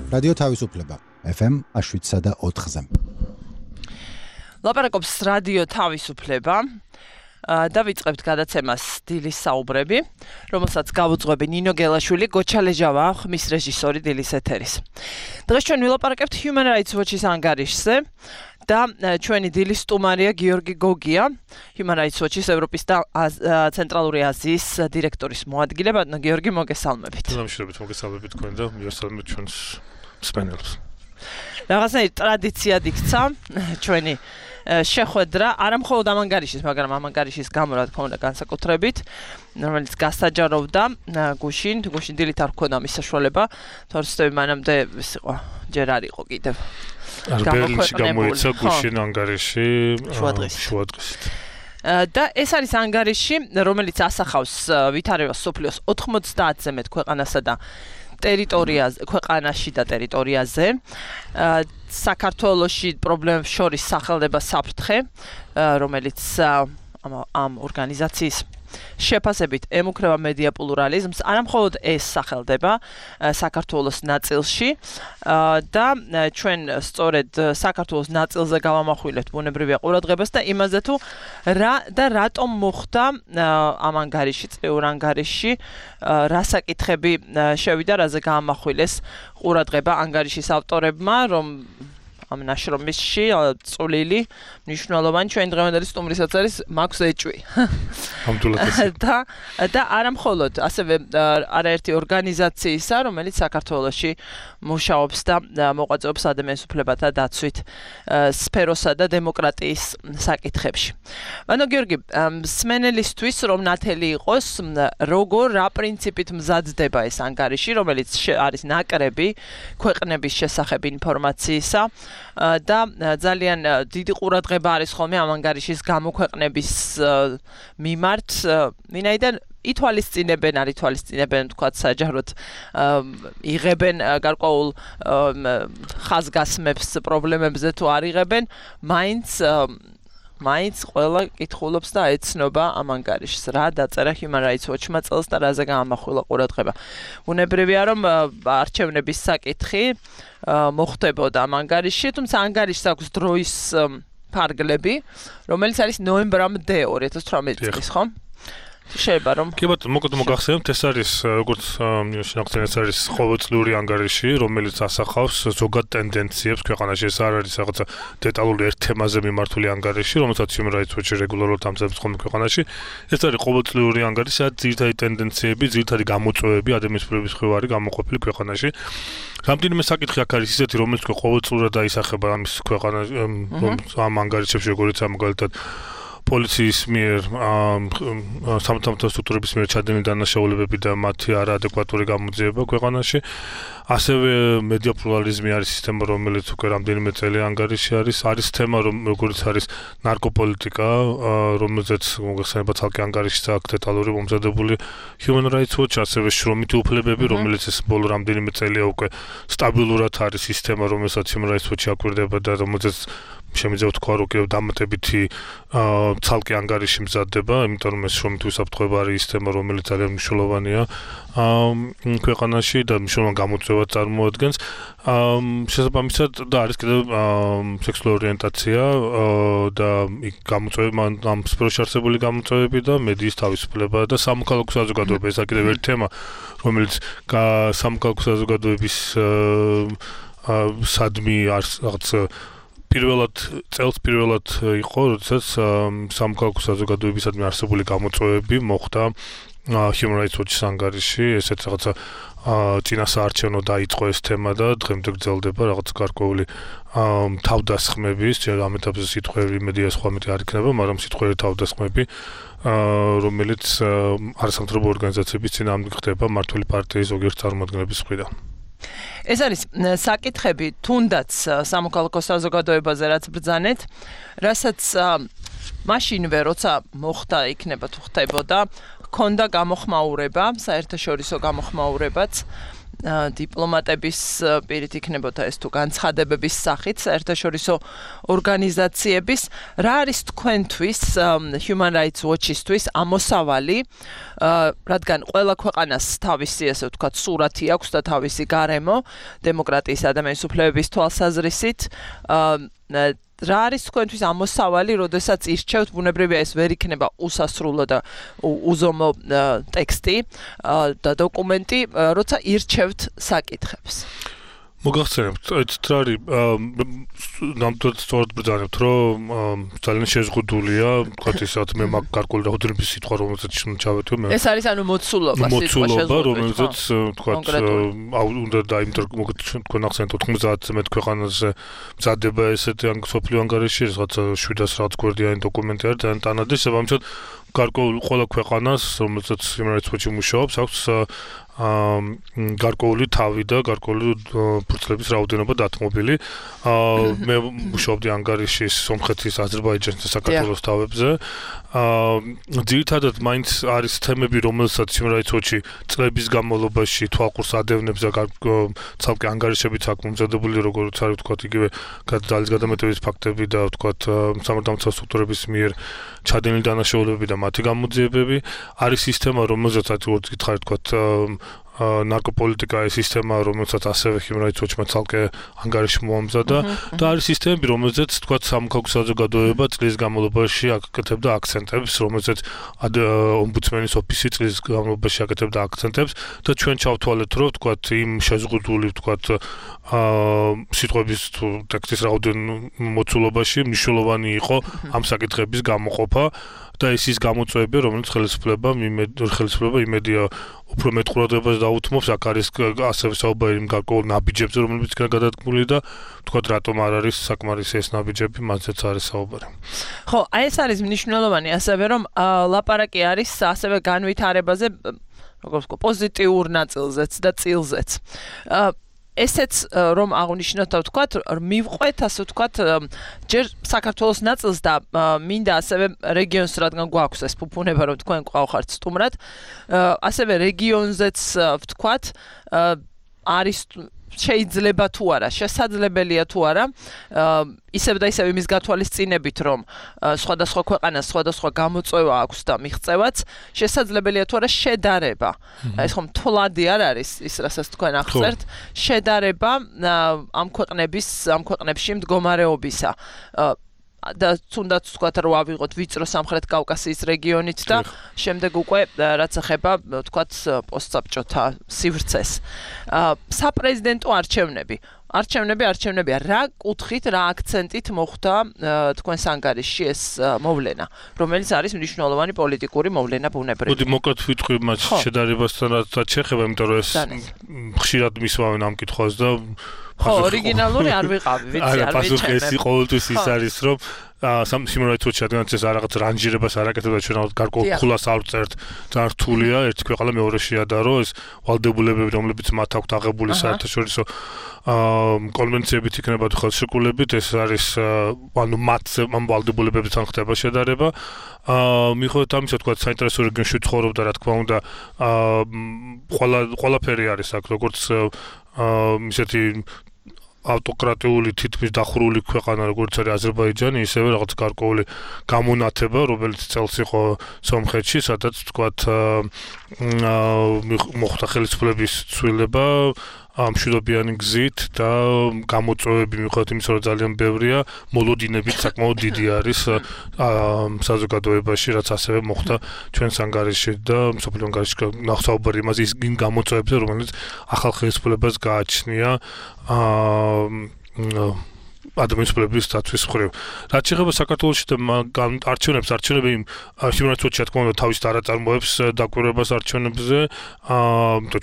რადიო თავისუფლება FM 7.4-ზე. ლაპარაკობს რადიო თავისუფლება. დავიწყებთ გადაცემას დილის საუბრები, რომელსაც გავუძღვები ნინო გელაშვილი, გოჩა ლეჟავა, ხმის რეჟისორი დილის ეთერის. დღეს ჩვენ ვილაპარაკებთ Human Rights Watch-ის ანგარიშზე და ჩვენი დილის სტუმარია გიორგი გოგია, Human Rights Watch-ის ევროპის და ცენტრალური აზიის დირექტორის მოადგილე. ბატონო გიორგი, მოგესალმებით. მოგესალმებით თქვენ და მივესალმებით ჩვენს მსმენელს. რაღაცნაირი ტრადიციად იქცა ჩვენი შეხვედრა, არა მხოლოდ ამ ანგარიშის, მაგრამ ამ ანგარიშის გამო რა თქმა უნდა განსაკუთრებით, რომელიც გასაჯაროვდა გუშინ დილით არ ჰქონდა მის საშუალება, თორემ მანამდე ის იყო, ჯერ არ იყო კიდევ. ბერლინში გამოიცა გუშინ ანგარიში შუადღესით. და ეს არის ანგარიში, რომელიც ასახავს ვითარებას სოფლიოს 90-ზე მეტ ქვეყანასა და ტერიტორიაზე, ქვეყანაში და ტერიტორიაზე. საქართველოში პრობლემებს შორის სახელდება საფრთხე, რომელიც ამ ორგანიზაციის შეფასებით ემუქრება მედია პლურალიზმს, არა მხოლოდ ეს სახელდება საქართველოს ნაწილში და ჩვენ სწორედ საქართველოს ნაწილზე გავამახვილებთ ბუნებრივია ყურადღებას და იმაზე თუ რატომ მოხდა ამ ანგარიში, წრიურ ანგარიში, რა საკითხები შევიდა, რაზე გაამახვილეს ყურადღება ანგარიშის ავტორებმა, რომ ამ ნაშრომში წვლილი მნიშვნელოვანი ჩვენი დღევანდელი სტუმრისაც არის მაქვს ეჭვი. და არა მხოლოდ ასევე არაერთი ორგანიზაციისა, რომელიც საქართველოში მუშაობს და მოღვაწეობს ადამიანის უფლებათა დაცვით სფეროსა და დემოკრატიის საკითხებში. ბატონო გიორგი, მსმენელისთვის რომ ნათელი იყოს, რა პრინციპით მზადდება ეს ანგარიში, რომელიც არის ნაკრები ქვეყნების შესახებ ინფორმაციისა და ძალიან დიდი ყურადღება არის ხოლმე ამ ანგარიშის გამოქვეყნების მიმართ, ვინაიდან ითვალისწინებენ თქვათ საჯაროდ იღებენ გარკვეულ ხაზგასმებს პრობლემებზე თუ არ იღებენ, მაინც ყველა კითხულობს და ეცნობა ამ ანგარიშს, რა დაწერა Human Rights Watch-მა წელს და რაზე გაამახვილა ყურადღება. ბუნებრივია რომ არჩევნების საკითხი მოხდებოდა ამ ანგარიშში, თუმცა ანგარიშს აქვს დროის ფარგლები, რომელიც არის ნოემბრამდე 2018 წლის, ხო? შეიძლება რომ კი ბატონო, მოკლედ მოგახსენებთ, ეს არის როგორც შინაგან ეს არის ყოველწლიური ანგარიში, რომელიც ასახავს ზოგად ტენდენციებს ქვეყანაში. ეს არ არის რაღაცა დეტალური ერთ თემაზე მიმართული ანგარიში, რომელსაც Human Rights Watch რეგულარულად ამზადებს ხოლმე ქვეყანაში. ეს არის ყოველწლიური ანგარიში, სადაც ძირითადი ტენდენციები, ძირითადი გამოწვევები ადამიანის უფლების მხრივ არის გამოყოფილი ქვეყანაში. რამდენიმე საკითხი აქ არის ისეთი, რომელიც ყოველწლიურად აისახება ამის ქვეყანაში, ამ ანგარიშებში, როგორიც მაგალითად პოლიციის მიერ, სამართალმთავრობო სტრუქტურების მიერ ჩადენილი დანაშაულებები და მათი არაადეკვატური გამოძიება ქვეყანაში. ასევე მედია პლურალიზმი არის სისტემა, რომელიც უკვე რამდენიმე წელი ანგარიში არის თემა, როგორც არის ნარკოპოლიტიკა, რომელზეც მოგეხსენება ცალკე ანგარიშიც აქვს დეტალური მომზადებული Human Rights Watch, ასევე შრომითი უფლებები, რომელიც ეს ბოლო რამდენიმე წელია უკვე სტაბილურად არის სისტემა, რომელსაც Human Rights Watch აკვირდება და რომელზეც შემიძლია ვთქვა, რომ კიდევ დამატებითი ცალკე ანგარიში მზადდება, იმიტომ რომ ეს შრომითი უსაფრთხოება არის სისტემა, რომელიც ძალიან მნიშვნელოვანია ქვეყანაში და მნიშვნელოვან გამოწვევას წარმოადგენს. შესაბამისად და არის კიდევ სექსუალური ორიენტაცია და გამოწვევები, ამ სფეროში არსებული გამოწვევები და მედიის თავისუფლება და სამოქალაქო საზოგადოება. ეს კიდევ ერთი თემა, რომელიც სამოქალაქო საზოგადოების სადმი რაღაც პირველად იყო, როდესაც სამოქალაქო საზოგადოებისადმი არსებული გამოწვევები მოხდა Human Rights Watch-ის ანგარიში, ესეც რაღაცა წინასაარჩევნო დაიწყო ეს თემა და დღემდე გრძელდება რაღაც გარკვეული თავდასხმების, ამ ეტაპზე სიტყვები მედია სხვა მეტი არ იქნება, მაგრამ სიტყვები თავდასხმები, რომელიც არასამთავრობო ორგანიზაციების წინააღმდეგ ხდება მმართველი პარტიის ზოგიერთ წარმომადგენლების მხრიდან. ეს არის საკითხები თუნდაც სამოქალაქო საზოგადოებაზე რაც ბრძანეთ, რასაც მაშინვე როცა მოხდა იქნება თუ ხდებოდა, ჰქონდა გამოხმაურება, საერთაშორისო გამოხმაურებაც დიპლომატების პირით იქნებოდა ეს თუ განცხადებების სახით საერთაშორისო ორგანიზაციების რა არის თქვენთვის Human Rights Watch-ისთვის ამოსავალი რადგან ყველა ქვეყანას თავისი ასე ვთქვათ სურათი აქვს და თავისი გარემო დემოკრატიის ადამიანის უფლებების თვალსაზრისით რა არის თქვენთვის ამოსავალი, როდესაც ირჩევთ ბუნებრივია ეს ვერ იქნება უსასრულო და უზომო ტექსტი და დოკუმენტი, როცა ირჩევთ საკითხებს. მოგახსენებთ, ეს რა არის ნამდვილად სწორად ბრძანებთ, რომ ძალიან შეზღუდულია, თქვათ ისეთ მე მაგ გარკვეული რაოდენობის სიტყვა, რომელსაც ჩავეთვე მე. ეს არის ანუ მოცულობა, რომელსაც თქვათ უნდა თქვენ ახსენეთ 90 ქვეყანაზე მზადდება ესეთი სოფლიო ანგარიში, რაღაცა 700 რაღაც გვერდიანი დოკუმენტი არის, ძალიან ტანადი, საბამისად გარკვეული ყველა ქვეყანას, რომელსაც Human Rights Watch-ი მუშაობს, აქვს გარკვეული თავი და გარკვეული ფურცლების რაოდენობა დათმობილი. მე მუშაობდი ანგარიშის, სომხეთის, აზერბაიჯანის და საქართველოს თავებზე. ძირითადად მაინც არის თემები, რომელსაც Human Rights Watch-ი წლების განმავლობაში თვალყურს ადევნებს და ცალკე ანგარიშებიც აქვს მომზადებული, როგორც არის ვთქვათ, იგივე ძალის გადამეტების ფაქტები და ვთქვათ, სამართალდამცავ სტრუქტურების მიერ ჩადენილი დანაშაულებები და მათი გამოძიებები. არის სისტემა, რომელზეც როგორც გითხარით, ვთქვათ, ნარკოპოლიტიკა ის სისტემა, რომელსაც ასევე Human Rights Watch-მა ცალკე ანგარიში მოამზადა და არის სისტემები, რომელზეც თქვათ სამოქალაქო საზოგადოება წლის განმავლობაში აკეთებდა აქცენტებს, რომელზეც ომბუდსმენის ოფისი წლის განმავლობაში აკეთებდა აქცენტებს და ჩვენ ჩავთვალეთ, რომ თქვათ იმ შეზღუდული თქვათ სიტყვების ტექსტის მოცულობაში მნიშვნელოვანი იყო ამ საკითხების გამოყოფა და ეს ის გამოწვევები, რომელიც ხელისუფლება იმედია უფრო მეტ ყურადღებას დაუთმობს, აქ არის ასევე საუბარი იმ გარკვეულ ნაბიჯებზე, რომლებიც იქნა გადადგმული და თქვათ რატომ არ არის საკმარისი ეს ნაბიჯები, მათზეც არის საუბარი. ხო, აი ეს არის მნიშვნელოვანი, ასევე რომ ლაპარაკი არის ასევე განვითარებაზე, როგორც ვთქვათ, პოზიტიურ ნაწილზეც და წილზეც. ესეც რომ აღნიშნოთ და ვთქვათ, მივყვეთ ასე ვთქვათ, ჯერ საქართველოს ნაწილს და მინდა ასევე რეგიონს, რადგან გვაქვს ეს ფუფუნება, რომ თქვენ ყავხართ სტუმრად, ასევე რეგიონზეც ვთქვათ, არის შეიძლება თუ არა, შესაძლებელია თუ არა, ისევ და ისევ იმის გათვალისწინებით, რომ სხვადასხვა ქვეყანას სხვადასხვა გამოწვევა აქვს და მიღწევაც, შესაძლებელია თუ არა შედარება. ეს ხომ თვლადი არ არის ის, რასაც თქვენ აღწერთ, შედარება ამ ქვეყნებში მდგომარეობისა. და თუნდაც ვთქვათ, რომ ავიღოთ ვიწრო სამხრეთ კავკასიის რეგიონით და შემდეგ უკვე რაც ეხება ვთქვათ პოსტსაბჭოთა სივრცეს. საპრეზიდენტო არჩევნებია. რა კუთხით, რა აქცენტით მოხდა თქვენს ანგარიშში ეს მოვლენა, რომელიც არის მნიშვნელოვანი პოლიტიკური მოვლენა ბუნებრივია. მოდი მოკლედ ვიტყვი მათ შედარებასთან რაც შეეხება, იმიტომ რომ ეს ხშირად მისვავენ ამ კითხვას და ხო, ორიგინალური არ ვიყავი, ვიცი, არ ვიცი. ყოველთვის ის არის, რომ Human Rights Watch რადგანაც ეს რაღაც რანჟირებას არ აკეთებდა, ჩვენ გარკვეულ ფულას არ ვწერთ, ძალიან რთულია ერთი ქვეყანა მეორეში ადარო, ეს ვალდებულებები, რომლებიც მათ აქვთ აღებული საერთაშორისო კონვენციებით იქნება თუ ხელშეკრულებით, ეს არის ანუ მათზე ამ ვალდებულებებთან ხდება შედარება. მიუხედავად ამისა, თქვა საინტერესო რეგიონში ცხოვრობდა, რა თქმა უნდა, ყველაფერი არის აქ, როგორც ისეთი ავტოკრატიული თითქმის დახურული ქვეყანა, როგორც არის აზერბაიჯანი, ისევე რაღაც გარკვეული გამონათება, რომელიც წელს იყო სომხეთში, სადაც თქვათ მოხდა ხელისუფლების ცვლილება მშვიდობიანი გზით და გამოწვევები მიუხედავად იმისა, რომ ძალიან ბევრია, მოლოდინებით საკმაოდ დიდი არის საზოგადოებაში, რაც ასევე მოხდა ჩვენს ანგარიშში და მსოფლიო ანგარიშში ნახსაუბარი იმაზე იმ გამოწვევებზე, რომელიც ახალ ხელისუფლებას გააჩნია ადამიანის უფლებების დაცვის მხრივ. რაც შეეხება საქართველოში და არჩევნები Human Rights Watch-ი თქმა უნდა თავის არაწარმოებს დაკვირვებას არჩევნებზე,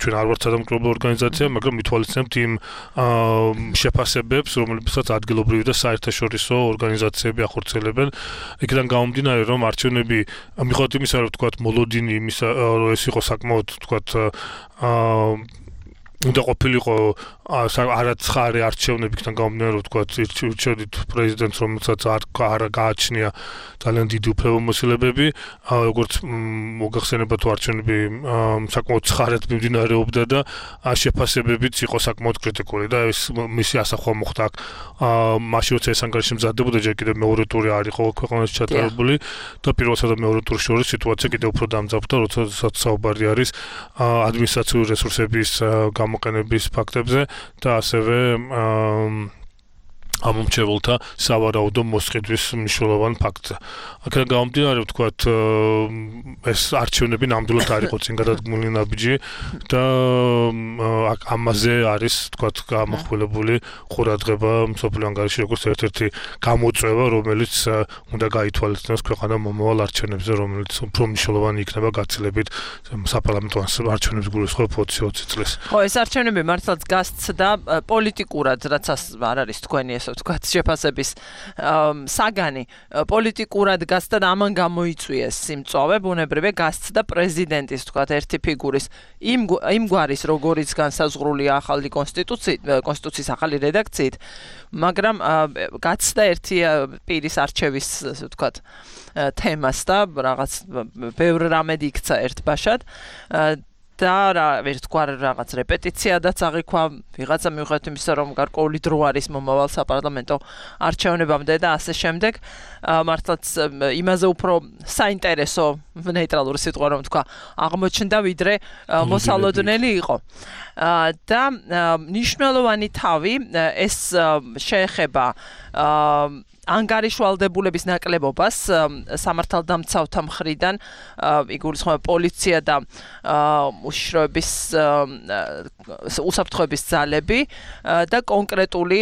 ჩვენ არ ვართ სადამკვირვებლო ორგანიზაცია, მაგრამ მითვალისწინებთ იმ შეფასებებს, რომლებსაც ადგილობრივი და საერთაშორისო ორგანიზაციები ახორციელებენ. იქიდან გამომდინარე, რომ არჩევნები მიუხედავად იმისა, რომ ვთქვათ, მოლოდინი იმისა, რომ ეს იყო საკმაოდ ვთქვათ უნდა ყოფილიყო არაცხარი არჩევნებიდან გამომდინარე, რომ თქვა ირჩევდით პრეზიდენტს, რომელსაც არ გააჩნია ძალიან დიდი უფლებამოსილებები, როგორც მოგახსენება თუ არჩევნები საკმაოდ ცხარად მიმდინარეობდა და შეფასებებიც იყო საკმაოდ კრიტიკული და ეს მისი ასახვა მოხდა აქ მაშინ როცა ეს ანგარიში მზადდებოდა, ჯერ კიდევ მეორე ტური არ იყო ქვეყანაში ჩატარებული და პირველსა და მეორე ტურის შორის სიტუაცია კიდევ უფრო დამძაფრდა, როდესაც საუბარი არის ადმინისტრაციული რესურსების გამოყენების ფაქტებზე და ასევე ამომრჩეველთა სავარაუდო მოსყიდვის მნიშვნელოვან ფაქტზე. აქედან გამომდინარე, ვთქვათ, ეს არჩევნები ნამდვილად არ იყო წინ გადადგმული ნაბიჯი და ამაზე არის, ვთქვათ, გამოხვილებული ყურადღება მსოფლიო ანგარიში როგორც ერთ-ერთი გამოწვევა, რომელიც უნდა გაითვალისწინოს ქვეყანა მომავალ არჩევნებზე, რომელიც უფრო მნიშვნელოვანი იქნება გაცილებით საპარლამენტო არჩევნების გულისხმობ 20-20 წლის. ხო, ეს არჩევნები მართლაც გასცდა პოლიტიკურად, რაც არ არის თქვენი ეს ვთქვათ შეფასების საგანი პოლიტიკურად გასცდა და ამან გამოიწვიეს სიმწვავე ბუნებრივია გასცდა პრეზიდენტის ვთქვათ ერთი ფიგურის იმ გვარის როგორიც განსაზღვრულია ახალი კონსტიტუციის ახალი რედაქციით, მაგრამ გასცდა ერთი პირის არჩევის ვთქვათ თემას და რაღაც ბევრ რამედ იქცა ერთბაშად და ვერტკვარ რაღაც რეპეტიციადაც აღიქვა ვიღაცა მიუხედავად იმისა რომ გარკვეული დრო არის მომავალ საპარლამენტო არჩევნებამდე და ასე შემდეგ მართლაც იმაზე უფრო საინტერესო ნეიტრალური სიტყვა რომ თქვა აღმოჩნდა ვიდრე მოსალოდნელი იყო და მნიშვნელოვანი თავი ეს შეეხება ანგარიშვალდებულების ნაკლებობას სამართალდამცავთა მხრიდან იგულისხმება პოლიცია და უშიშროების უსაფრთხოების ძალები და კონკრეტული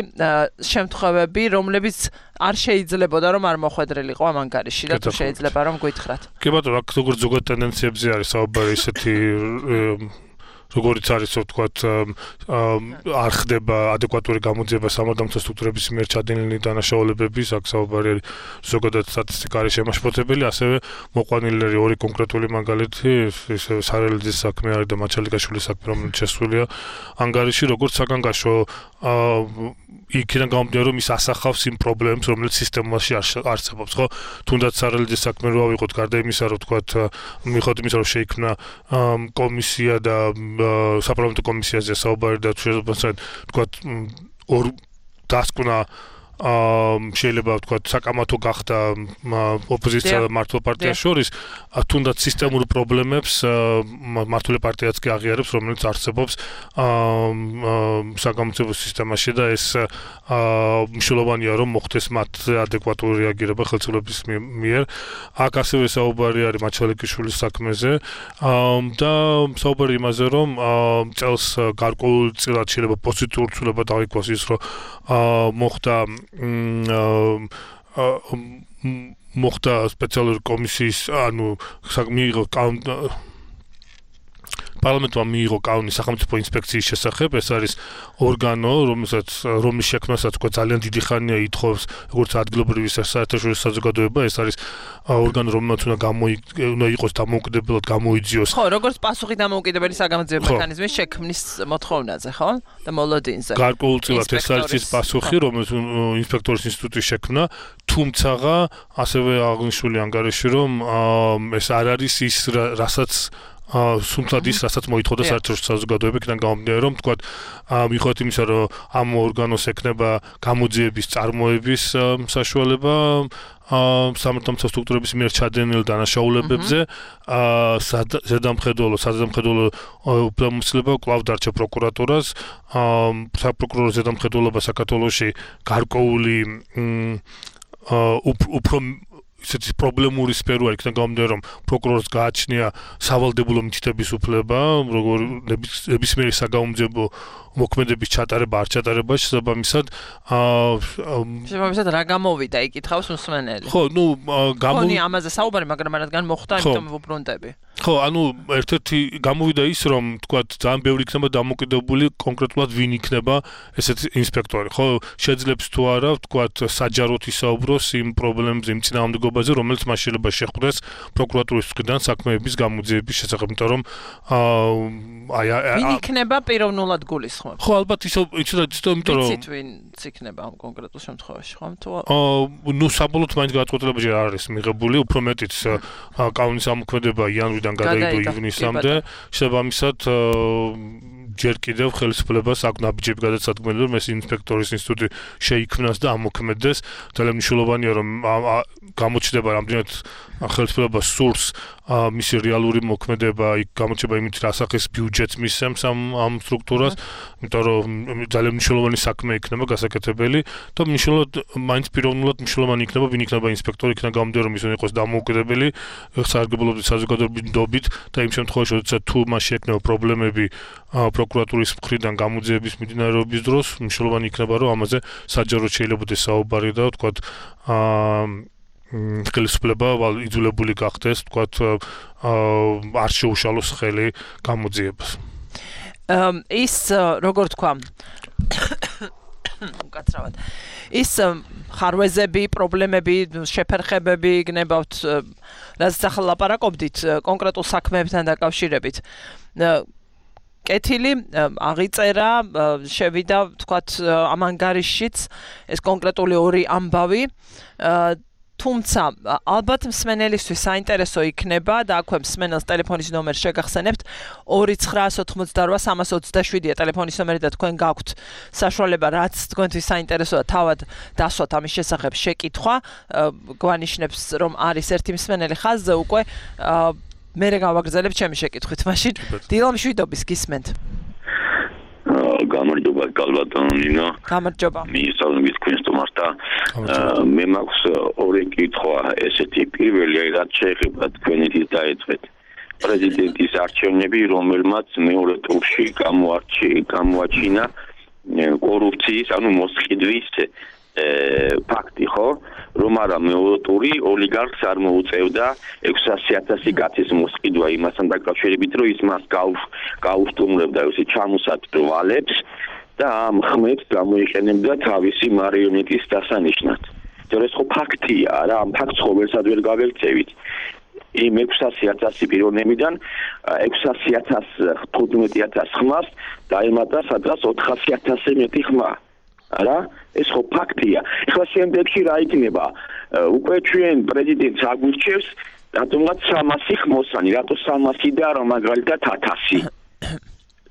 შემთხვევები, რომლებიც არ შეიძლებოდა რომ არ მოხვედრილიყო ამ ანგარიში და თუ შეიძლება რომ გითხრათ. კი ბატონო, აქ როგორც ზოგად ტენდენციებზე არის საუბარი ისეთი როგორც არის ვთქვათ არ ხდება ადეკვატური გამოძიება სამართალდამცავ სტრუქტურების მიერ ჩადენილი დანაშაულებების, აქ საუბარი არის ზოგადად სტატისტიკა არის შემაშფოთებელი, ასევე მოყვანილი არის ორი კონკრეტული მაგალითი, ისე სარელძის საქმე არის და მაჩალიკაშვილის საქმე, რომელიც შესულია ანგარიში, როგორც საგანგაშო იქიდან გამომდინარე რომ ის ასახავს იმ პრობლემებს, რომელიც სისტემაში არსებობს, ხო? თუნდაც სარელძის საქმე რო ავიღოთ, გარდა იმისა, რომ ვთქვათ, მიუხედავად იმისა, რომ შეიქმნა კომისია და საპარლამენტო კომისიაზე საუბარი და ვთქვათ, ორ დასკვნა შეიძლება ვთქვათ საკამათო გახდა ოპოზიცია და მართლ პარტიას შორის, თუნდაც სისტემურ პრობლემებს მართლ პარტიაც კი აღიარებს, რომელიც არსებობს საგამოძიებო სისტემაში და ეს მნიშვნელოვანია რომ მოხდეს მათზე ადეკვატური რეაგირება ხელისუფლების მიერ. აქ ასევე საუბარი არის მაჩალიკიშვილის საქმეზე და საუბარი იმაზე რომ წელს გარკვეულწილად შეიძლება პოზიტიურ ცვლილებად აღიქვას ის რომ მოხდა სპეციალური კომისიის მიიღო პარლამენტმა მიიღო კანონი სახელმწიფო ინსპექციის შესახებ, ეს არის ორგანო, რომლის შექმნასაც თქვა ძალიან დიდი ხანია ითხოვს როგორც ადგილობრივი საერთაშორისო საზოგადოება, ეს არის ორგანო, რომელმაც უნდა იყოს დამოუკიდებლად გამოიძიოს. ხო, როგორც პასუხი დამოუკიდებელი საგამოძიებო მექანიზმის შექმნის მოთხოვნაზე, ხო? და მოლოდინზე. გარკვეულწილად ეს არის ის პასუხი, რომელიც ინსპექტორის ინსტიტუტის შექმნა, თუმცა ასევე აღნიშნული ანგარიში, რომ ეს არ არის ის, რასაც სუნთად ის, რასაც მოითხოვდა საერთაშორისო საზოგადოება, იქიდან გამომდინარე, რომ თქვათ, მიუხედავად იმისა, რომ ამ ორგანოს ექნება გამოძიების წარმოების საშუალება სამართალდამცავ სტრუქტურების მიერ ჩადენილ დანაშაულებებზე, საზედამხედველო უფლებამოსილება კვლავ დარჩა პროკურატურას, საპროკურორო ზედამხედველობა საქართველოში გარკვეული უფრო ისეთი პრობლემური სფერო არის, იქიდან გამომდინარე, რომ პროკურორს გააჩნია სავალდებულო მითითების უფლება, როგორ ნებისმიერი საგამოძიებო მოქმედების ჩატარება, არ ჩატარება, შესაბამისად რა გამოვიდა, იკითხავს მსმენელი. ხო, ამაზე საუბარი, მაგრამ რადგან მოხდა, იმიტომ ვუბრუნდები. ხო, ანუ ერთ-ერთი გამოვიდა ის, რომ თქვათ ძალიან ბევრი იქნება დამოკიდებული კონკრეტულად ვინ იქნება ესეთი ინსპექტორი. ხო, შეძლებს თუ არა, თქვათ საჯაროდ ისაუბროს იმ პრობლემებზე, იმ წინააღმდეგობაზე, რომელიც მას შეიძლება შეხვდეს პროკურატურის მხრიდან საქმეების გამოძიების შესახებ, იმიტომ რომ ვინ იქნება პიროვნულად გულისხმობს. ხო, ალბათ იცოდეთ, იმიტომ რომ ვიცით ვინ იქნება ამ კონკრეტულ შემთხვევაში, ხო? ნუ საბოლოოდ მაინც გადაწყვეტილებაში არ არის მიღებული, უფრო მეტიც კანონის ამოქმედება იანვრიდან გადაიდო ივნისამდე, შესაბამისად ჯერ კიდევ ხელისუფლებას აქვს ნაბიჯები გადაწყვეტილი, რომ ეს ინსპექტორის ინსტიტუტი შეიქმნას და ამოქმედდეს. ძალიან მნიშვნელოვანია, რომ გამოჩნდება რამდენად ხელისუფლებას სურს მისი რეალური მოქმედება, იქ გამოჩნდება იმით, რა სახის ბიუჯეტს მისცემს ამ სტრუქტურას, იმიტომ რომ ძალიან მნიშვნელოვანი საქმე იქნება გასაკეთებელი და მნიშვნელოვნად მაინც პიროვნულად მნიშვნელოვანი იქნება, ვინ იქნება ინსპექტორი, იქნება გამომდინარე, რომ ის უნდა იყოს დამოუკიდებელი სარგებლობებით, საზოგადოებრივით და იმ შემთხვევაში, როდესაც თუ მას შეექმნება პრობლემები პროკურატურის მხრიდან გამოძიების მიმდინარეობის დროს, მნიშვნელოვანი იქნება, რომ ამაზე საჯაროდ შეიძლებაოდეს საუბარი და ვთქვათ ხელისუფლება იძულებული გახდეს, ვთქვათ არ შეუშალოს ხელი გამოძიებას. ის როგორ თქვა უკაცრავად ის ხარვეზები, პრობლემები, შეფერხებები გნებავთ, რაც ახლა ლაპარაკობდით კონკრეტულ საქმეებთან დაკავშირებით. კეთილი აღიწერა, შევიდა, ვთქვათ, ამ ანგარიშშიც ეს კონკრეტული ორი ამბავი. თუმცა ალბათ მსმენელისთვის საინტერესო იქნება და აქვე მსმენელს ტელეფონის ნომერი შეგახსენებთ 2988327-ია ტელეფონის ნომერი და თქვენ გაქვთ საშუალება რაც თქვენთვის საინტერესოა თავად დასვათ ამის შესახებ შეკითხვა გვანიშნებს რომ არის ერთი მსმენელი ხაზზე უკვე მე გავაგრძელებ ჩემი შეკითხვით მაშინ დილამშვიდობის გისმენთ გამარჯობა კალბატონინო. გამარჯობა. მისწავლებით თქვენს თომართა. მე მაქვს ორი კითხვა ესეთი. პირველი, რაც შეეხება თქვენით დაეწყეთ. პრეზიდენტის არჩევნები, რომელმაც მეორე ტურში გამოაჩინა კორუფციის, ანუ მოსყიდვის ფაქტი, ხო? რომ არა მეორე ტური ოლიგარქს არ მოუწევდა 600,000 კაცის მოსყიდვა იმასთან დაკავშირებით, რომ ის მას გაუსტუმრებდა ესე ჩამოსატვირ ვალებს და ამ ხმებს გამოიყენებდა თავისი მარიონეტის დასანიშნად. ეს ხო ფაქტია, რა, ამ ფაქტს ხო ვერსად ვერ გავექცევით. იმ 600,000 პიროვნებიდან 600,000 ხმას დაემატა სადღაც 400,000 მეტი ხმა. არა ეს ხო ფაქტია. ეხლა შემდეგში რა იქნება? უკვე ჩვენ პრეზიდენტს აგვირჩევს რატომღაც 300 ხმოსანი, რატო 300 და რა მაგალითად 1000.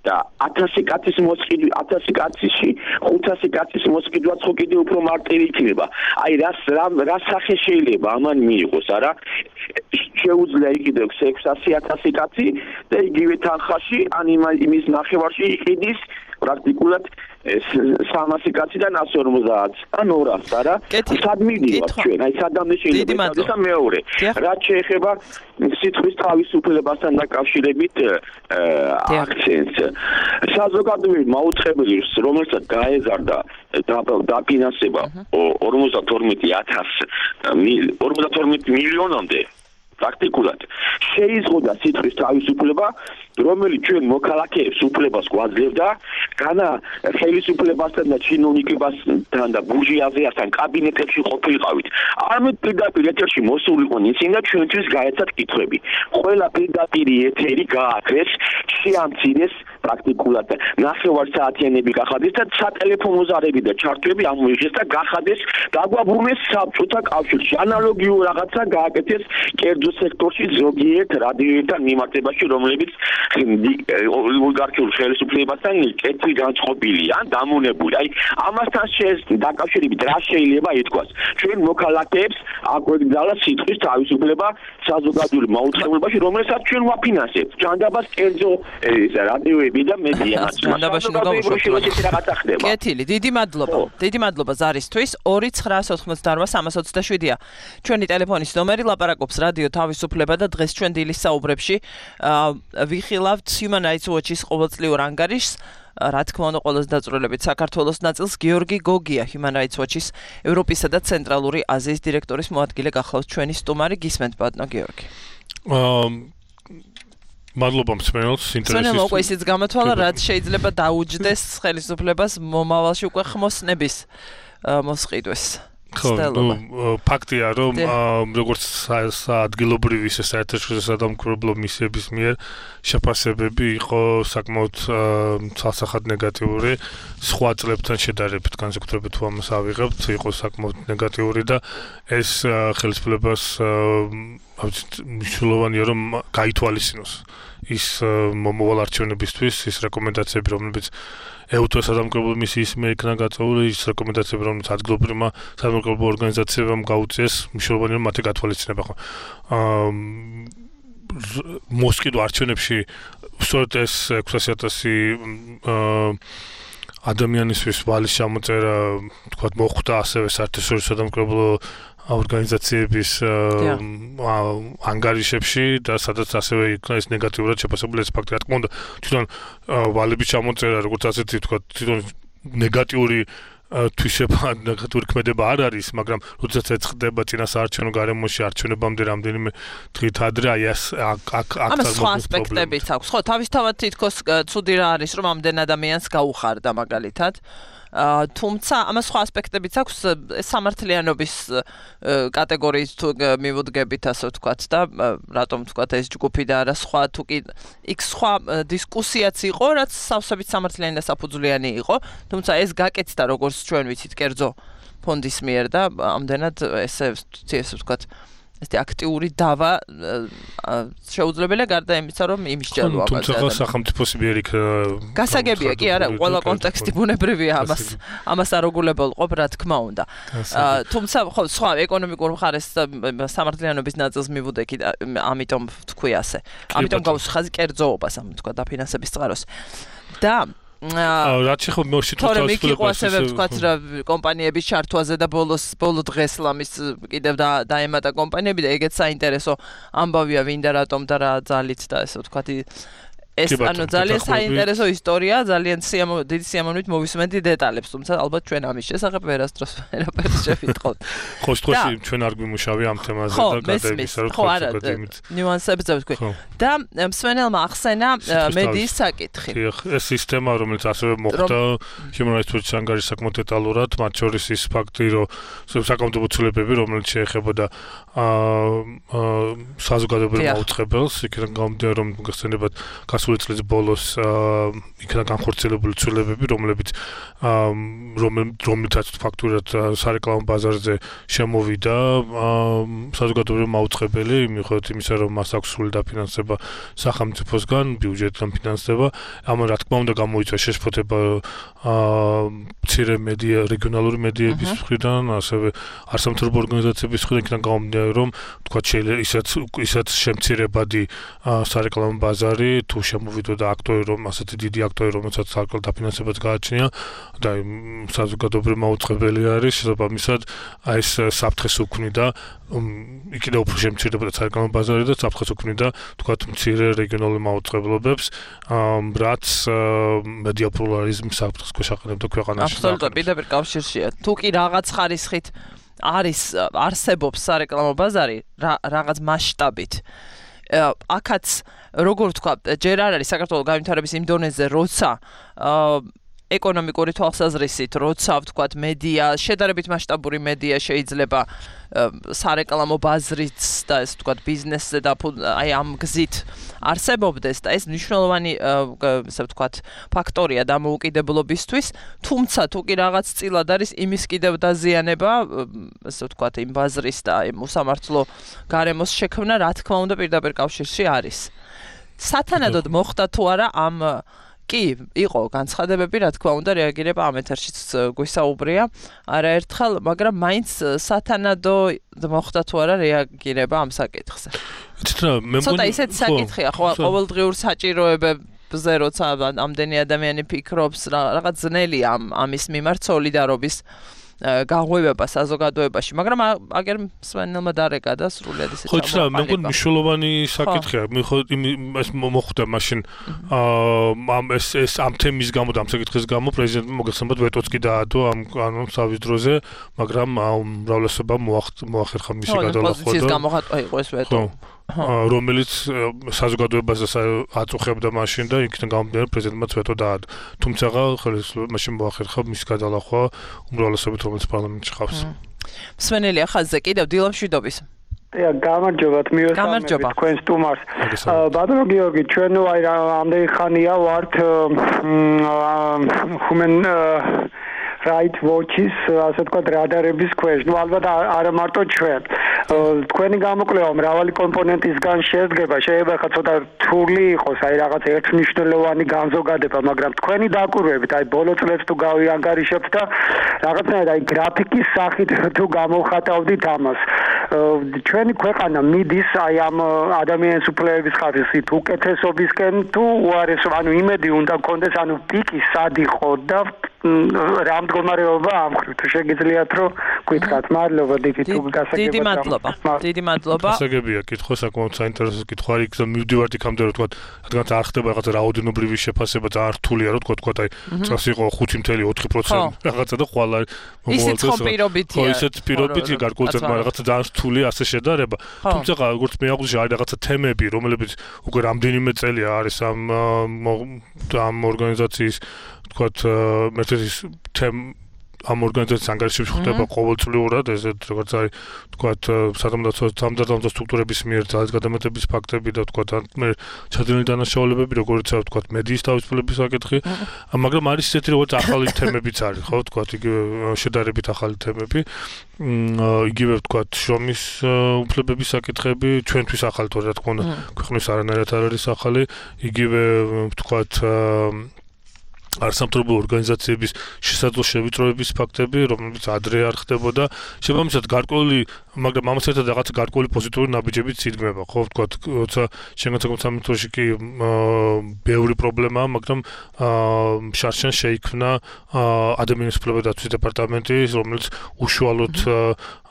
და 1000 კაცის მოსყიდვა 1000 კაცში 500 კაცის მოსყიდვაც ხო კიდე უფრო მარტივი იქნება. აი რა სახე შეიძლება ამან მიიღოს, არა? შეუძლია იყიდოს 600,000 კაცი და იგივე თანხაში ან იმის ნახევარში იყიდის პრაქტიკულად 300 კაციდან 150 ან 200, არა? სად მივიდივართ ჩვენ? აი სადამდე შეიძლება და მეორე. რაც შეეხება სიტყვის თავისუფლებასთან დაკავშირებით აქცენტს. საზოგადოებრივი მაუწყებელი, რომელსაც გაეზარდა დაფინანსება 52 მილიონამდე პრაქტიკულად შეიზღოდა სიტყვის თავისუფლება, რომელიც ჩვენ მოქალაქეებს უფლებას გვაძლევდა, განა ხელისუფლებასთან და ჩინოვნიკებასთან და ბურჟუაზიასთან კაბინეტებში ყოფილიყავით. არამედ პირდაპირ ეთერში მოსულიყო ისინი და ჩვენთვის გაეცათ კითხვები. ყველა პირდაპირ ეთერი გააქრეს, შეამცირეს პრაქტიკულად ნახევარსაათიანები გახადეს და სატელეფონო ზარები და ჩარტვები ამოიღეს და გახადეს დაგვაბრუნეს საბჭოთა კავშირში. ანალოგიურ რაღაცა გააკეთეს კერძო სექტორში ზოგიერთ რადიოებთან მიმართებაში, რომლებიც ოლიგარქიულ ხელისუფლებასთან კეთილი განწყობილია, დამონებული. აი, ამასთან დაკავშირებით რა შეიძლება ითქვას? ჩვენ მოქალაქეებს აგვეგზავნა სიტყვის თავისუფლება საზოგადოებრივ მაუწყებელობაში, რომელსაც ჩვენ ვაფინანსებთ. ჯანდაბას კერძო რადიოები და მედია. კეთილი, დიდი მადლობა. დიდი მადლობა ზარისთვის. 2988327-ია. ჩვენი ტელეფონის ნომერი ლაპარაკობს რადიო თავისუფლება და დღეს ჩვენ დილის საუბრებში ვიხილავთ Human Rights Watch-ის ყოველწლიურ ანგარიშს. რა თქმა უნდა, ყველაზე დაწვრილებით საქართველოს ნაწილს გიორგი გოგია, Human Rights Watch-ის ევროპისა და ცენტრალური აზიის დირექტორის მოადგილე გახლავს ჩვენი სტუმარი. გისმენთ ბატონო გიორგი. მადლობა მსმენელს ინტერესის. მსმენელმა უკვე ისიც გამოთვალა, რაც შეიძლება დაუჯდეს ხელისუფლებას მომავალში უკვე ხმოსნების მოსყიდვეს. ფაქტია, რომ როგორც ადგილობრივი საერთაშორისო სადამკვირვებლო მისიების მიერ შეფასებები იყო საკმაოდ ცალსახად ნეგატიური, სხვა წლებთან შედარებით განსაკუთრებით თუ ამას ავიღებთ, იყო საკმაოდ ნეგატიური და ეს ხელისუფლებას მნიშვნელოვანია რომ გაითვალისწინოს ის მომავალ არჩევნებისთვის ის რეკომენდაციები, რომლებიც ეუთო სადამკვირვებლო მისიის მიერ იქნა გაწეული, ის რეკომენდაციები, რომელიც ადგილობრივმა სადამკვირვებლო ორგანიზაციებამ გაუწიეს, მნიშვნელოვანია რომ მათი გათვალისწინება ხო. მოსყიდვა არჩევნებში სწორედ ეს 600,000 ადამიანისთვის ვალის ჩამოწერა, თქვათ, მოხვდა ასევე საერთაშორისო სადამკვირვებლო ორგანიზაციების ანგარიშებში და სადაც ასევე იქნა ეს ნეგატიურად შეფასებული ეს ფაქტი. რა თქმა უნდა, თვითონ ვალების ჩამოწერა, როგორც ასეთი თქვა, თვითონ ნეგატიური თვისება, ნეგატიური ქმედება არ არის, მაგრამ როდესაც ეწყდება წინა საარჩევნო გარემოში არჩევნებამდე რამდენიმე დღით ადრე, აი აქ ამას სხვა ასპექტებიც აქვს. ხო, თავისთავად თითქოს ცუდი რა არის, რომ ამდენ ადამიანს გაუხარდა მაგალითად. თუმცა ამას სხვა ასპექტებიც აქვს სამართლიანობის კატეგორიის თუ მივუდგებით ასე ვთქვათ და რატომ ვთქვათ ეს ჯგუფი და არა სხვა თუ კი იქ სხვა დისკუსიაც იყო რაც სავსებით სამართლიანი და საფუძვლიანი იყო თუმცა ეს გაკეთდა როგორც ჩვენ ვიცით კერძო ფონდის მიერ და ამდენად ესე ვთქვათ ესეთი აქტიური დავა შეუძლებელია გარდა იმისა რომ იმისჯელო ამაზე. თუმცა სახელმწიფოს მიერ იქ გასაგებია კი არა ყველა კონტექსტი ბუნებრივია ამას არ უგულებელყოფ რა თქმა უნდა. თუმცა ხო სხვა ეკონომიკურ მხარეს სამართლიანობის ნაწილს მივუდექი და ამიტომ ვთქვი ასე. ამიტომ გავუსხაზი კერძოობას ამ თქვა დაფინანსების წყაროს. და რაც შეხო თორემ იქ იყო ასევე ვთქვათ რა კომპანიების ჩართვაზე და ბოლო დღეს ლამის კიდევ დაემატა კომპანიები და ეგეც საინტერესო ამბავია ვინ და რატომ და რა ძალით და ესე ვთქვათ ეს ანუ ძალიან საინტერესო ისტორია, ძალიან დიდი სიამოვნებით მოვისმენთ დეტალებს, თუმცა ალბათ ჩვენ ამის შესახებ ვერასდროს ვერაფერს შევიტყოთ. ხო, სწორედ ჩვენ არ გვიმუშავია ამ თემაზე და გადაიმისა რომ ხო არა, ნიუანსებზე ვთქვი. და მსმენელმა ახსენა მედიის საკითხი. ეს სისტემა, რომელიც ასევე მოხდა Human Rights Watch-ის ანგარიშში საკმაოდ დეტალურად, მათ შორის ის ფაქტი, რომ საკანონმდებლო ცვლილებები, რომელიც შეეხებოდა საზოგადოებრივ მაუწყებელს, იქიდან გამომდინარე რომ გასცენებად გასული წლის ბოლოს იქნა განხორციელებული ცვლილებები, რომლითაც ფაქტურად სარეკლამო ბაზარზე შემოვიდა საზოგადოებრივ მაუწყებელი, მიუხედავად იმისა, რომ მას აქვს სრული დაფინანსება სახელმწიფოსგან, ბიუჯეტიდან ფინანსდება, ამან რა თქმა უნდა გამოიწვია შეშფოთება მცირე მედია, რეგიონალური მედიების მხრიდან, ასევე არასამთავრობო ორგანიზაციების მხრიდან, იქიდან გამომდინარე, რომ თქვათ შეიძლება ისაც შემცირებადი სარეკლამო ბაზარი თუ შემოვიდოდა აქტორი, რომ ასეთი დიდი აქტორი, რომელსაც სარკელ დაფინანსებაც გააჩნია და საზოგადოებრივ მაუწყებელი არის, შესაბამისად აი ეს საფრთხეს უქმნიდა, იქიდან უფრო შემცირდებოდა სარეკლამო ბაზარი და საფრთხეს უქმნიდა, თქვათ, მცირე რეგიონულ მაუწყებლობებს, რაც მედია პლურალიზმის საფრთხეს ქვეშ აყენებდა ქვეყანაში. აბსოლუტურად პირდაპირ კავშირშია. თუ კი რაღაც ხარისხით არსებობს სარეკლამო ბაზარი, რაღაც მასშტაბით. აქაც როგორ ვთქვა, ჯერ არ არის საქართველოს განვითარების იმ დონეზე, როცა ეკონომიკური თვალსაზრისით, როცა ვთქვათ, მედია, შედარებით მასშტაბური მედია შეიძლება სარეკლამო ბაზრით და ეს ვთქვათ, ბიზნესზე და აი ამ გზით არსებობდეს და ეს მნიშვნელოვანი ესე ვთქვათ, ფაქტორია დამოუკიდებლობისთვის, თუმცა თუ კი რაღაც წილად არის იმის კიდევ დაზიანება, ესე ვთქვათ, იმ ბაზრის და იმ უსამართლო გარემოს შექმნა, რა თქმა უნდა, პირდაპირ კავშირში არის. სათანადოდ მოხდა თუ არა ამ კი, იყო განცხადებები, რა თქმა უნდა, რეაგირება ამ ეთერშიც გვისაუბრია არაერთხელ, მაგრამ მაინც სათანადო მოხდა თუ არა რეაგირება ამ საკითხზე. ცოტა ისეთი საკითხია, ხო, ყოველდღიურ საჭიროებებზე, როცა ამდენი ადამიანი ფიქრობს, რაღაც ძნელია ამის მიმართ სოლიდარობის გაღვივება საზოგადოებაში, მაგრამ აგერ მსმენელმა დარეკა და სრულიად ისე ხო, მე მგონი მნიშვნელოვანი საკითხია, ეს მოხდა მაშინ ეს ამ თემის გამო და ამ საკითხის გამო პრეზიდენტმა მოგეხსენებათ ვეტოც კი დაადო ამ კანონის სავის დროზე, მაგრამ უმრავლესობამ მოახერხა მისი გადალახვა და პოზიციის გამოხატვა იყო ეს ვეტო. რომელიც საზოგადოებას აწუხებდა მაშინ და იქიდან გამომდინარე პრეზიდენტმა ვეტო დაადო. თუმცა ხელისუფლება მაშინ მოახერხა მის გადალახვა უმრავლესობით, რომელიც პარლამენტში ყავს. მსმენელია ხაზზე კიდევ დილამშვიდობის. გამარჯობათ, მივესალმებით თქვენ სტუმარს. ბატონო გიორგი, ჩვენ ამდენი ხანია ვართ Human Rights Watch-ის, ასე ვთქვათ, რადარების ქვეშ. ალბათ არა მარტო ჩვენ. თქვენი გამოკვლევა მრავალი კომპონენტისგან შედგება. შეიძლება ხა ცოტა რთული იყოს, რაღაც ერთმნიშვნელოვანი განზოგადება, მაგრამ თქვენი დაკვირვებით, ბოლო წლებს თუ გავიანგარიშებთ და რაღაცნაირად გრაფიკის სახით თუ გამოვხატავდით ამას. ჩვენი ქვეყანა მიდის ამ ადამიანის უფლებების ხარისხით უკეთესობისკენ თუ უარესო, იმედი უნდა გქონდეს, პიკი სად იყო და რა მდგომარეობა ამხრივ თუ შეგიძლიათ რომ გითხრათ. მადლობა დიდი მადლობა. გასაგებია კითხვა, საკმაოდ საინტერესო კითხვა არის და მივდივართ იქამდე რომ თქვა, რადგან არ ხდება რაღაცა რაოდენობრივი შეფასება და არ რთულია რომ თქვა, წელს იყო 5.4% რაღაცა და ხვალ ისიც პირობითია. ისიც პირობითია გარკვეულწილად, მაგრამ რაღაცა ძალიან რთული ასე შედარება. თუმცა როგორც მე აღვნიშნე, არის რაღაცა თემები, რომლებიც უკვე რამდენიმე წელია არის ამ ორგანიზაციის თქვათ მეთოდის ამ ორგანიზაციის ანგარიშებში ხდება ყოველწლიურად, ესეთ როგორც არის თქვათ სამართალდამცავ სტრუქტურების მიერ ძალის გადამეტების ფაქტები და თქვათ მე ჩადენილი დანაშაულებები, როგორც თქვათ მედიის თავისუფლების საკითხი, მაგრამ არის ისეთი როგორც ახალი თემებიც არის, ხო, თქვათ იგივე შედარებით ახალი თემები, იგივე თქვათ შრომის უფლებების საკითხები, ჩვენთვის ახალი თორე რა თქმა უნდა, ქვეყნის არანაირად არ არის ახალი, იგივე თქვათ არასამთავრობო ორგანიზაციების შესაძლო შევიწროების ფაქტები, რომლებიც ადრე არ ხდებოდა, შესაბამისად გარკვეული, მაგრამ ამას ერთად რაღაც გარკვეული პოზიტიური ნაბიჯებიც იდგმება, ხო, ვთქვათ, როცა შენგანსაკუთრებულ სამინისტროში კი ბევრი პრობლემაა, მაგრამ შარშან შეიქმნა ადამიანის უფლებათა დაცვის დეპარტამენტი, რომელიც უშუალოდ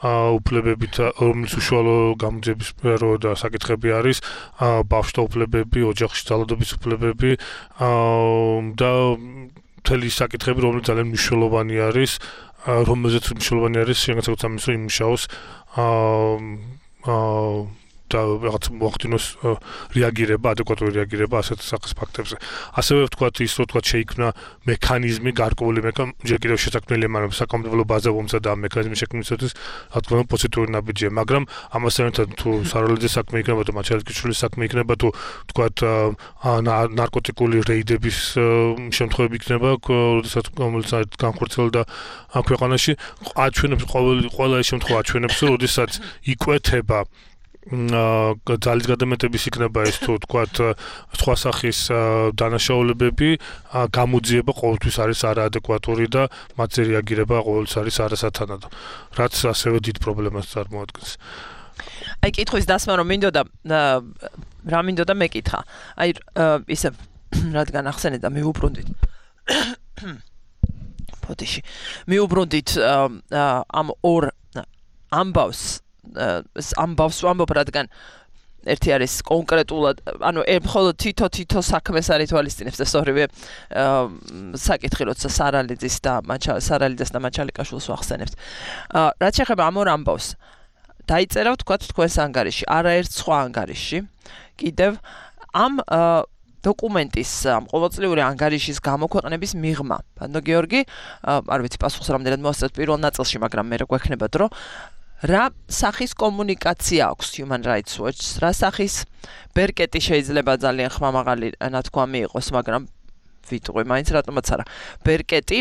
უფლებებით, რომელიც უშუალო გამოძიების სფერო და საკითხები არის, ბავშვთა უფლებები, ოჯახში ძალადობის უფლებები და მთელი საკითხები, რომელიც ძალიან მნიშვნელოვანი არის, რომელზეც მნიშვნელოვანი არის შენგანსაკუთრებულ სამინისტრო იმუშაოს და რაღაც მოახდინოს რეაგირება, ადეკვატური რეაგირება ასეთ სახის ფაქტებზე. ასევე ვთქვათ ის, რომ ვთქვათ შეიქმნა მექანიზმი, გარკვეული ჯერ კიდევ შესაქმნელია, მაგრამ საკანონმდებლო ბაზა მომცა და მექანიზმის შექმნისათვის რა თქმა უნდა პოზიტიური ნაბიჯია, მაგრამ ამასთან ერთად თუ საროლეძე საქმე იქნება, თუ მაჩალკიშვილის საქმე იქნება, თუ ვთქვათ ნარკოტიკული რეიდების შემთხვევები იქნება, როდესაც განხორციელდა ქვეყანაში, აჩვენებს ყველა ეს შემთხვევა აჩვენებს, რომ როდესაც იკვეთება ძალის გადამეტების იქნება ეს თუ თქვათ სხვა სახის დანაშაულებები, გამოძიება ყოველთვის არის არაადეკვატური და მათზე რეაგირება ყოველთვის არის არასათანადო, რაც ასევე დიდ პრობლემას წარმოადგენს. კითხვის დასმა რომ რა მინდოდა მეკითხა. ისე რადგან ახსენეთ და მივუბრუნდით. ფოტიში. მივუბრუნდით ამ ორ ამბავს ვამბობ, რადგან ერთი არის კონკრეტულად, მხოლოდ თითო საქმეს არ ითვალისწინებს და სწორედ საკითხი, როცა სარალიძეს და მაჩალიკაშვილს ვახსენებთ. რაც შეეხება ამ ორ ამბავს, დაიწერა ვთქვათ თქვენს ანგარიში, არაერთ სხვა ანგარიში, კიდევ ამ დოკუმენტის ყოველწლიური ანგარიშის გამოქვეყნების მიღმა. ბატონო გიორგი, არ ვიცი პასუხს რამდენად მოასწრეთ პირველ ნაწილში, მაგრამ მე რა გვექნება დრო. რა სახის კომუნიკაცია აქვს Human Rights Watch-ს, რა სახის ბერკეტი შეიძლება ძალიან ხმამაღალი ნათქვამი იყოს, მაგრამ ვიტყვი მაინც რატომაც არა. ბერკეტი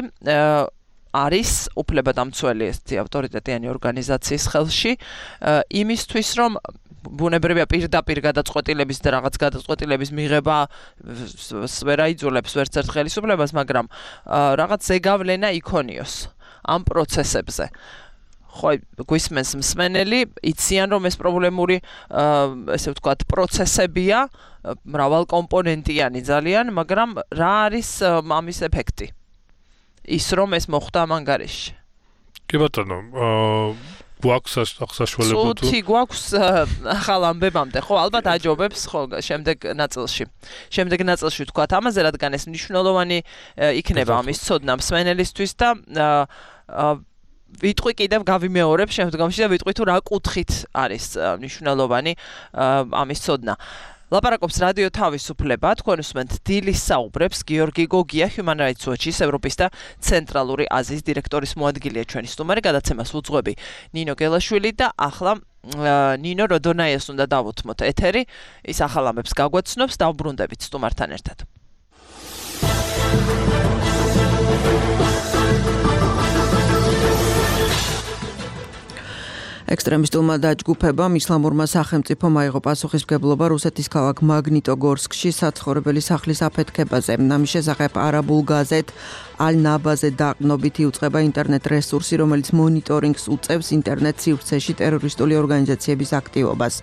არის უფლებადამცველი ესეთი ავტორიტეტიანი ორგანიზაციის ხელში, იმისთვის რომ ბუნებრივია პირდაპირ გადაწყვეტილების და რაღაც გადაწყვეტილების მიღება ვერ აიძულებს ვერც ერთ ხელისუფლებას, მაგრამ რაღაც ზეგავლენა იქონიოს ამ პროცესებზე. ხო, გვისმენს მსმენელი, იციან რომ ეს პრობლემური, ესე ვთქვათ, პროცესებია, მრავალკომპონენტიანი ძალიან, მაგრამ რა არის ამის ეფექტი? ის რომ ეს მოხდა ამ ანგარიშში. კი ბატონო, გვაქვს საშუალება თუ გვაქვს ახალ ამბებამდე, ხო, ალბათ აჯობებს, ხო, შემდეგ ნაწილში ვთქვათ ამაზე, რადგან ეს მნიშვნელოვანი იქნება ამის ცოდნა მსმენელისთვის და ვიტყვი კიდევ გავიმეორებ შემდგომში და ვიტყვი თუ რა კუთხით არის მნიშვნელოვანი ამის ცოდნა. ლაპარაკობს რადიო თავისუფლება, თქვენ უსმენთ დილის საუბრებს, გიორგი გოგია, Human Rights Watch-ის ევროპის და ცენტრალური აზიის დირექტორის მოადგილეა ჩვენი სტუმარი, გადაცემას უძღვები ნინო გელაშვილი და ახლა ნინო როდონაიას უნდა დავუთმოთ ეთერი, ის ახალ ამბებს გაგვაცნობს, დავბრუნდებით სტუმართან ერთად. ექსტრემისტულმა დაჯგუფებამ ისლამურმა სახელმწიფომ აიღო პასუხისმგებლობა რუსეთის ქალაქ მაგნიტოგორსკში საცხოვრებელი სახლის აფეთქებაზე. ამის შესახებ არაბულ გაზეთ ალ-ნაბაზე დაყრდნობით იუწყება ინტერნეტ რესურსი, რომელიც მონიტორინგს უწევს ინტერნეტ სივრცეში ტერორისტული ორგანიზაციების აქტივობას.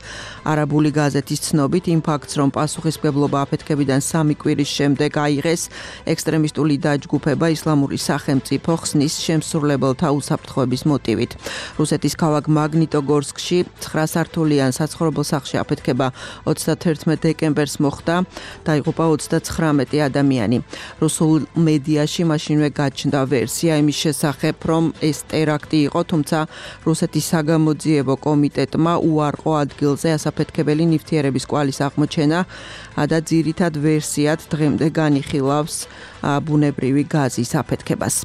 არაბული გაზეთის ცნობით, იმ ფაქტს, რომ პასუხისმგებლობა აფეთქებიდან 3 კვირის შემდეგ აიღეს, ექსტრემისტული დაჯგუფება ისლამური სახელმწიფო ხსნის შემსრულებელთა უსაფრთხოების მოტივით. რუსეთის ქალაქ მაგნიტოგორსკში 9 სართულიან საცხოვრებელ სახლში აფეთქება 31 დეკემბერს მოხდა, დაიღუპა 39 ადამიანი. რუსულ მედიაში მაშინვე გაჩნდა ვერსია იმის შესახებ, რომ ეს ტერაქტი იყო, თუმცა რუსეთის საგამოძიებო კომიტეტმა უარყო ადგილზე ასაფეთქებელი ნივთიერების კვალის აღმოჩენა და ძირითად ვერსიად დღემდე განიხილავს ბუნებრივი გაზის აფეთქებას.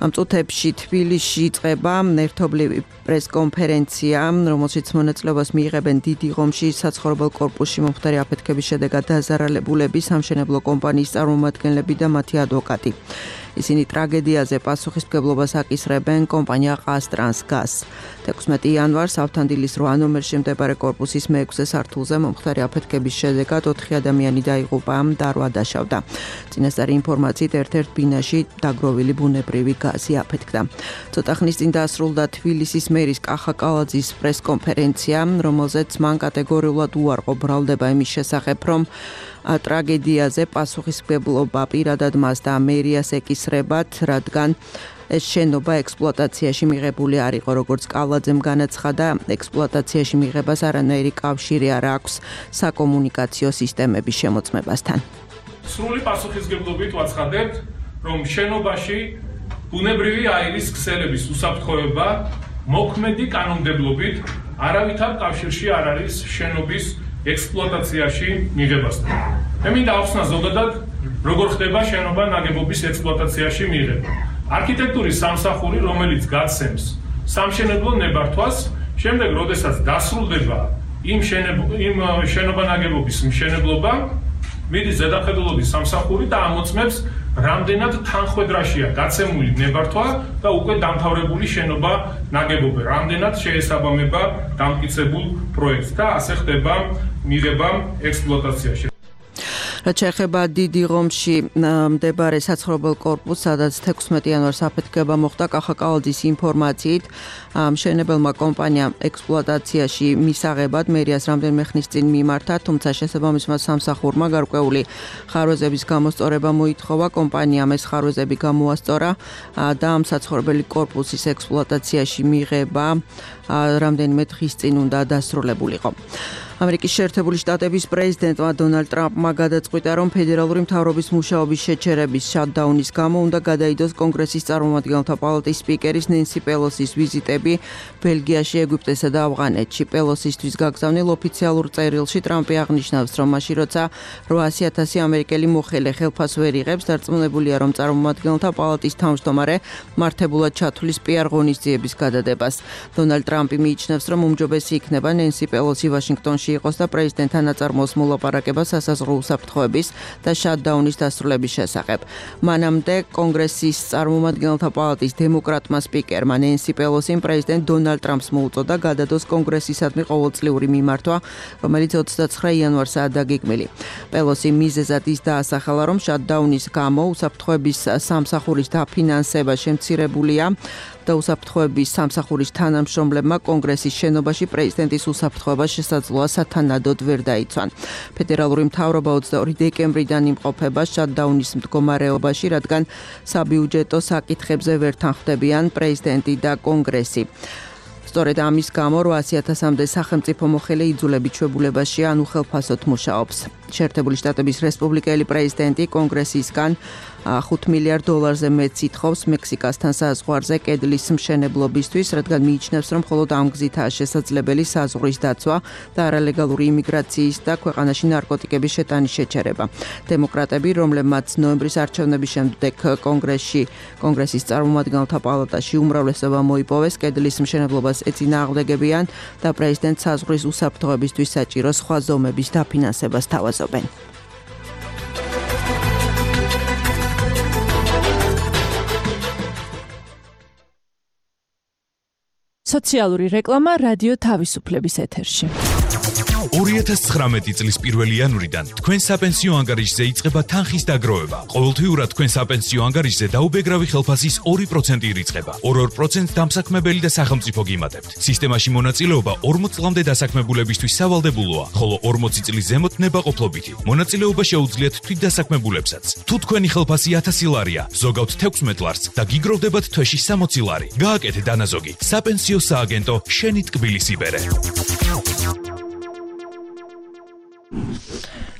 ამ წუთებში თბილისში იწყება ერთობლივი პრესკონფერენცია, რომელშიც მონაწილეობას მიიღებენ დიდი ღომში საცხოვრებელ კორპუსში მომხდარი აფეთქების შედეგად დაზარალებულები, სამშენებლო კომპანიის წარმომადგენლები და მათი ადვოკატი. ისინი ტრაგედიაზე პასუხისმგებლობას აკისრებენ კომპანია ყაზტრანსგაზს. 16 იანვარს ავთანდილის 8 ნომერში მდებარე კორპუსის მე-6 სართულზე მომხდარი აფეთქების შედეგად 4 ადამიანი დაიღუპა და 8 დაშავდა. წინასწარი ინფორმაციით ერთ-ერთ ბინაში დაგროვილი ბუნებრივი გაზი აფეთქდა. ცოტა ხნის წინ დასრულდა თბილისის მერის კახა კალაძის პრესკონფერენცია, რომელზეც მან კატეგორიულად უარყო ბრალდება იმის შესახებ, რომ ტრაგედიაზე პასუხისმგებლობა პირადად მას და მერიას ეკისრებათ, რადგან ეს შენობა ექსპლუატაციაში მიღებული არ იყო, როგორც კალაძემ განაცხადა, ექსპლუატაციაში მიღებას არანაირი კავშირი არ აქვს საკომუნიკაციო სისტემების შემოწმებასთან. სრული პასუხისმგებლობით ვაცხადებთ, რომ შენობაში ბუნებრივი აირის ქსელების უსაფრთხოება მოქმედი კანონმდებლობით არავითარ კავშირში არ არის შენობის ექსპლუატაციაში მიღებასთან. მე მინდა ახსნა ზოგადად, როგორ ხდება შენობა ნაგებობის ექსპლუატაციაში მიღება. არქიტექტურის სამსახური, რომელიც გაცემს სამშენებლო ნებართვას, შემდეგ, როდესაც დასრულდება იმ შენობა ნაგებობის მშენებლობა, მიდის ზედამხედველობის სამსახური და ამოწმებს, რამდენად თანხმედრაშია გაცემული ნებართვა და უკვე დამთავრებული შენობა ნაგებობა, რამდენად შეესაბამება დამტკიცებულ პროექტს და ასე ხდება მიღება ექსპლუატაციაში. რაც შეეხება დიდი ღომში მდებარე საცხოვრებელ კორპუსს, სადაც 16 იანვარს აფეთქება მოხდა, კახა კალაძის ინფორმაციით, მშენებელმა კომპანიამ ექსპლუატაციაში მისაღებად მერიას რამდენიმე ხნის წინ მიმართა, თუმცა შესაბამისმა სამსახურმა გარკვეული ხარვეზების გამოსწორება მოითხოვა, კომპანიამ ეს ხარვეზები გამოასწორა და ამ საცხოვრებელი კორპუსის ექსპლუატაციაში მიღება რამდენიმე დღის წინ უნდა დასრულებულიყო. ამერიკის შეერთებული შტატების პრეზიდენტმა დონალდ ტრამპმა გადაწყვიტა, რომ ფედერალური მთავრობის მუშაობის შეჩერების შატდაუნის გამო უნდა გადაიდოს კონგრესის წარმომადგენელთა პალატის სპიკერის ნენსი პელოსის ვიზიტები ბელგიაში, ეგვიპტესა და ავღანეთში. პელოსისთვის გაგზავნილ ოფიციალურ წერილში ტრამპი აღნიშნავს, რომ მაშინ როცა 800,000 ამერიკელი მოხელე ხელფასს ვერ იღებს, დარწმუნებულია, რომ წარმომადგენელთა პალატის თავმჯდომარე მართებულად ჩათვლის პიარ ღონისძიების გადადებას. დონალდ ტრამპი მიიჩნევს, რომ უმჯობესი იქნება ნენსი პელოსი ვაშინგტონში იყოს და პრეზიდენტთან აწარმოოს მოლაპარაკება სასაზღვრო უსაფრთხოების და შატდაუნის დასრულების შესახებ. მანამდე კონგრესის წარმომადგენელთა პალატის დემოკრატმა სპიკერმა ნენსი პელოსიმ პრეზიდენტ დონალდ ტრამპს მოუწოდა გადადოს კონგრესისადმი ყოველწლიური მიმართვა, რომელიც 29 იანვარსაა დაგეგმილი. პელოსი მიზეზად ის დაასახელა, რომ შატდაუნის გამო უსაფრთხოების სამსახურის დაფინანსება შემცირებულია და უსაფრთხოების სამსახურის თანამშრომლებმა კონგრესის შენობაში პრეზიდენტის უსაფრთხოება შესაძლოა სათანადოდ ვერ დაიცვან. ფედერალური მთავრობა 22 დეკემბრიდან იმყოფება შატდაუნის მდგომარეობაში, რადგან საბიუჯეტო საკითხებზე ვერ თანხმდებიან პრეზიდენტი და კონგრესი. სწორედ ამის გამო 800,000-მდე სახელმწიფო მოხელე იძულებით ჩვეულებაში ან უხელფასოდ მუშაობს. შეერთებული შტატების რესპუბლიკელი პრეზიდენტი კონგრესისგან 5 მილიარდ დოლარზე მეტ ითხოვს მექსიკასთან საზღვარზე კედლის მშენებლობისთვის, რადგან მიიჩნევს, რომ მხოლოდ ამ გზითაა შესაძლებელი საზღვრის დაცვა და არალეგალური იმიგრაციის და ქვეყანაში ნარკოტიკების შეტანის შეჩერება. დემოკრატები, რომლებმაც ნოემბრის არჩევნების შემდეგ კონგრესის წარმომადგენელთა პალატაში უმრავლესობა მოიპოვეს, კედლის მშენებლობას ეწინააღმდეგებიან და პრეზიდენტ საზღვრის უსაფრთხოებისთვის საჭირო სხვა ზომების დაფინანსებას თავაზობენ. სოციალური რეკლამა რადიო თავისუფლების ეთერში. 2019 წლის 1 იანვრიდან თქვენ საპენსიო ანგარიშზე იწყება თანხის დაგროვება. ყოველთვიურად თქვენ საპენსიო ანგარიშზე დაუბეგრავი ხელფასის 2% ირიცხება. 2% დამსაქმებელი და სახელმწიფო გიმატებთ. სისტემაში მონაწილეობა 40 წლამდე დასაქმებულებისთვის სავალდებულოა, ხოლო 40 წლის ზემოთ ნებაყოფლობითი. მონაწილეობა შეუძლიათ თვითდასაქმებულებსაც. თუ თქვენი ხელფასი 1000 ლარია, ზოგავთ 16 ლარს და გიგროვდებათ თვეში 60 ლარი. გააკეთე დანაზოგი. საპენსიო სააგენტო შენი ტკბილის იბერე.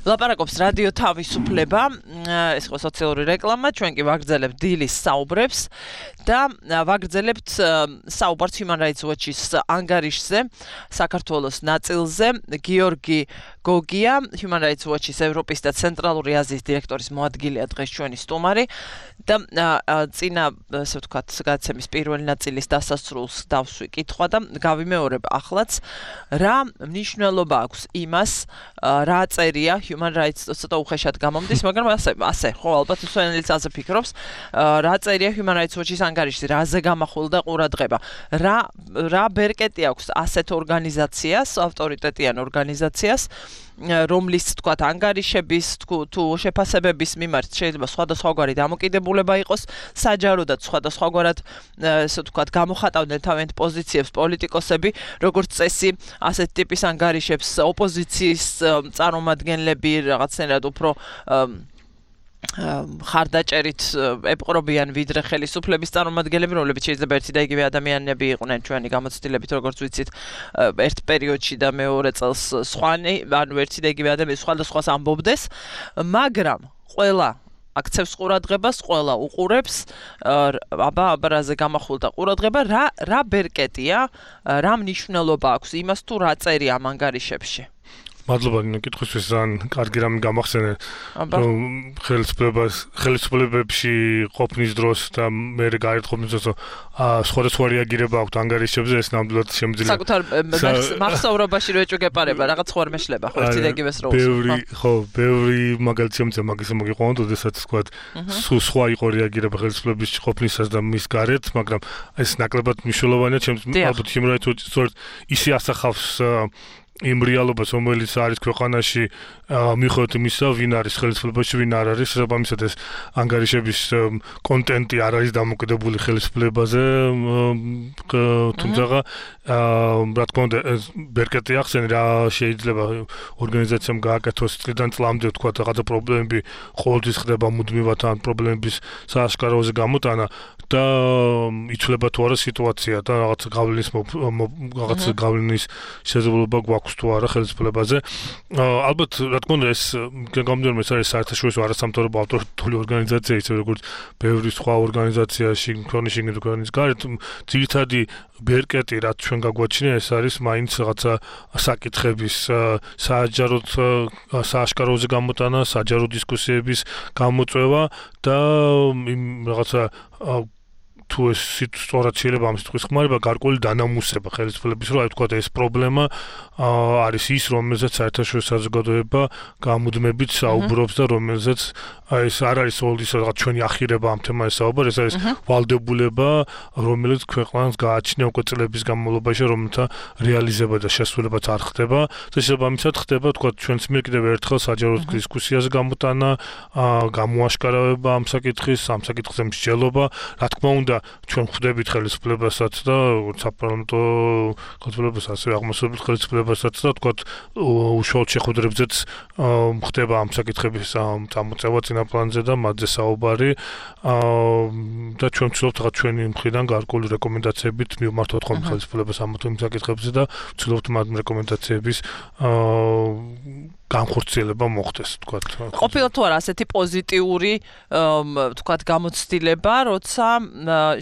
ლაპარაკობს რადიო თავისუფლება, ეს ხო სოციალური რეკლამა, ჩვენ კი ვაგრძელებთ დილის საუბრებს და ვაგრძელებთ საუბარს Human Rights Watch-ის ანგარიშზე, საქართველოს ნაწილზე. გიორგი გოგია, Human Rights Watch-ის ევროპის და ცენტრალური აზიის დირექტორის მოადგილეა დღეს ჩვენი სტუმარი და წინა, ასე ვთქვათ, გადაცემის პირველი ნაწილის დასასრულს დავსვი კითხვა და გავიმეორებ ახლაც, რა მნიშვნელობა აქვს იმას, რა წერია Human Rights ცოტა უხეშად გამომდის, მაგრამ ასე, ხო, ალბათ სვენელიც ასე ფიქრობს, რა წერია Human Rights Watch-ის ანგარიშზე, რაზე გამახვილდა ყურადღება, რა ბერკეტი აქვს ასეთ ორგანიზაციას, ავტორიტეტიან ორგანიზაციას, რომლის თქვათ ანგარიშების თუ შეფასებების მიმართ შეიძლება სხვადასხვაგვარი დამოკიდებულება იყოს, საჯაროდაც სხვადასხვაგვარად ესე ვთქვათ გამოხატავდნენ თავიანთ პოზიციებს პოლიტიკოსები, როგორც წესი ასეთ ტიპის ანგარიშებს ოპოზიციის წარმომადგენლები რაღაცნაირად უფრო ხარდაჭერით ეპყრობიან ვიდრე ხელისუფლების წარმომადგენლები, რომლებიც შეიძლება ერთი და იგივე ადამიანები იყვნენ ჩვენი გამოცდილებით, როგორც ვიცით, ერთ პერიოდში და მეორე წელს სხვანი, ანუ ერთი და იგივე ადამიანი სხვადასხვას ამბობდეს, მაგრამ ყველა აქცევს ყურადღებას, ყველა უყურებს, აბა რაზე გამახვილდა ყურადღება, რა ბერკეტია, რა მნიშვნელობა აქვს იმას თუ რა წერია ამ ანგარიშებში. მადლობა კითხვისთვის, ძალიან კარგი რამე გამახსენე, რომ ხელისუფლებებში ყოფნის დროს და მე გაერთყოფნის დროს სხვადასხვა რეაგირება აქვს ანგარიშებზე, ეს ნამდვილად შემიძლია. საკუთარ მახსოვრობაში რო ეჭვგეპარება, რაღაც ხო არ მეშლება, ხო ერთი და იგივეს როლს. ბევრი მაგალითი შემიძლია მაგის მოგიყვანოთ, ოდესაც თქვა, სხვა იყო რეაგირება ხელისუფლების ყოფნისას და მის გარეთ, მაგრამ ეს ნაკლებად მნიშვნელოვანია, ალბათ Human Rights Watch სწორედ ისე ასახავს იმ რეალობას, რომელიც არის ქვეყანაში, მიუხედავად იმისა, ვინ არის ხელისუფლებაში, ვინ არ არის, შესაბამისად ეს ანგარიშების კონტენტი არ არის დამოკიდებული ხელისუფლებაზე, თუმცა რა თქმა უნდა, ბერკეტი ახსენე, რა შეიძლება ორგანიზაციამ გააკეთოს წლიდან წლამდე, თქვა რაღაცა პრობლემები ყოველთვის ხდება მუდმივად ან პრობლემების სააშკაროზე გამოტანა და იცვლება თუ არა სიტუაცია და რაღაც გავლენის შესაძლებლობა გვაქვს თუ არა ხელისუფლებაზე. ალბათ, რა თქმა უნდა, ეს გამომდინარე ეს არის საერთაშორისო არასამთავრობო ავტორიტეტული ორგანიზაცია, ისე როგორც ბევრი სხვა ორგანიზაციაში, ქვეყნის შიგნით და ქვეყნის გარეთ, ძირითადი ბერკეტი, რაც ჩვენ გაგვაჩნია, ეს არის მაინც რაღაცა საკითხების საჯაროდ სააშკაროზე გამოტანა, საჯარო დისკუსიების გამოწვევა და იმ რაღაცა თუ ეს სწორად შეიძლება ამ სიტყვის ხმარება, გარკვეული დანამუსება ხელისუფლების, რომ აი ვთქვათ, ეს პრობლემა არის ის, რომელზეც საერთაშორისო საზოგადოება გამუდმებით საუბრობს და რომელზეც ეს არ არის ის რაღაც ჩვენი ახირება ამ თემაზე საუბარი, ეს არის ვალდებულება, რომელიც ქვეყანას გააჩნია უკვე წლების განმავლობაში, რომელთა რეალიზება და შესრულებაც არ ხდება და შესაბამისად ხდება, ვთქვათ, ჩვენს მიერ კიდევ ერთხელ საჯარო დისკუსიაზე გამოტანა, გამოაშკარავება ამ საკითხზე მსჯელობა, რა თქმა უნდა, ჩვენ ხვდებით ხელისუფლებასაც და საპარლამენტო ხელისუფლებასაც, აღმოსავლეთ ხელისუფლებასაც და ვთქვათ, უშუალოდ შეხვედრებზეც ხდება ამ საკითხების წამოწევა წინაპლანზე და მათზე საუბარი და ჩვენ ვცდილობთ რაღაც ჩვენი მხრიდან გარკვეული რეკომენდაციებით მივმართოთ ხოლმე ხელისუფლებას ამ საკითხებზე და ვცდილობთ მათ რეკომენდაციების განხორციელება მოხდეს, თქვათ. ყოფილა თუ არა ასეთი პოზიტიური, თქვათ, გამოცდილება, როცა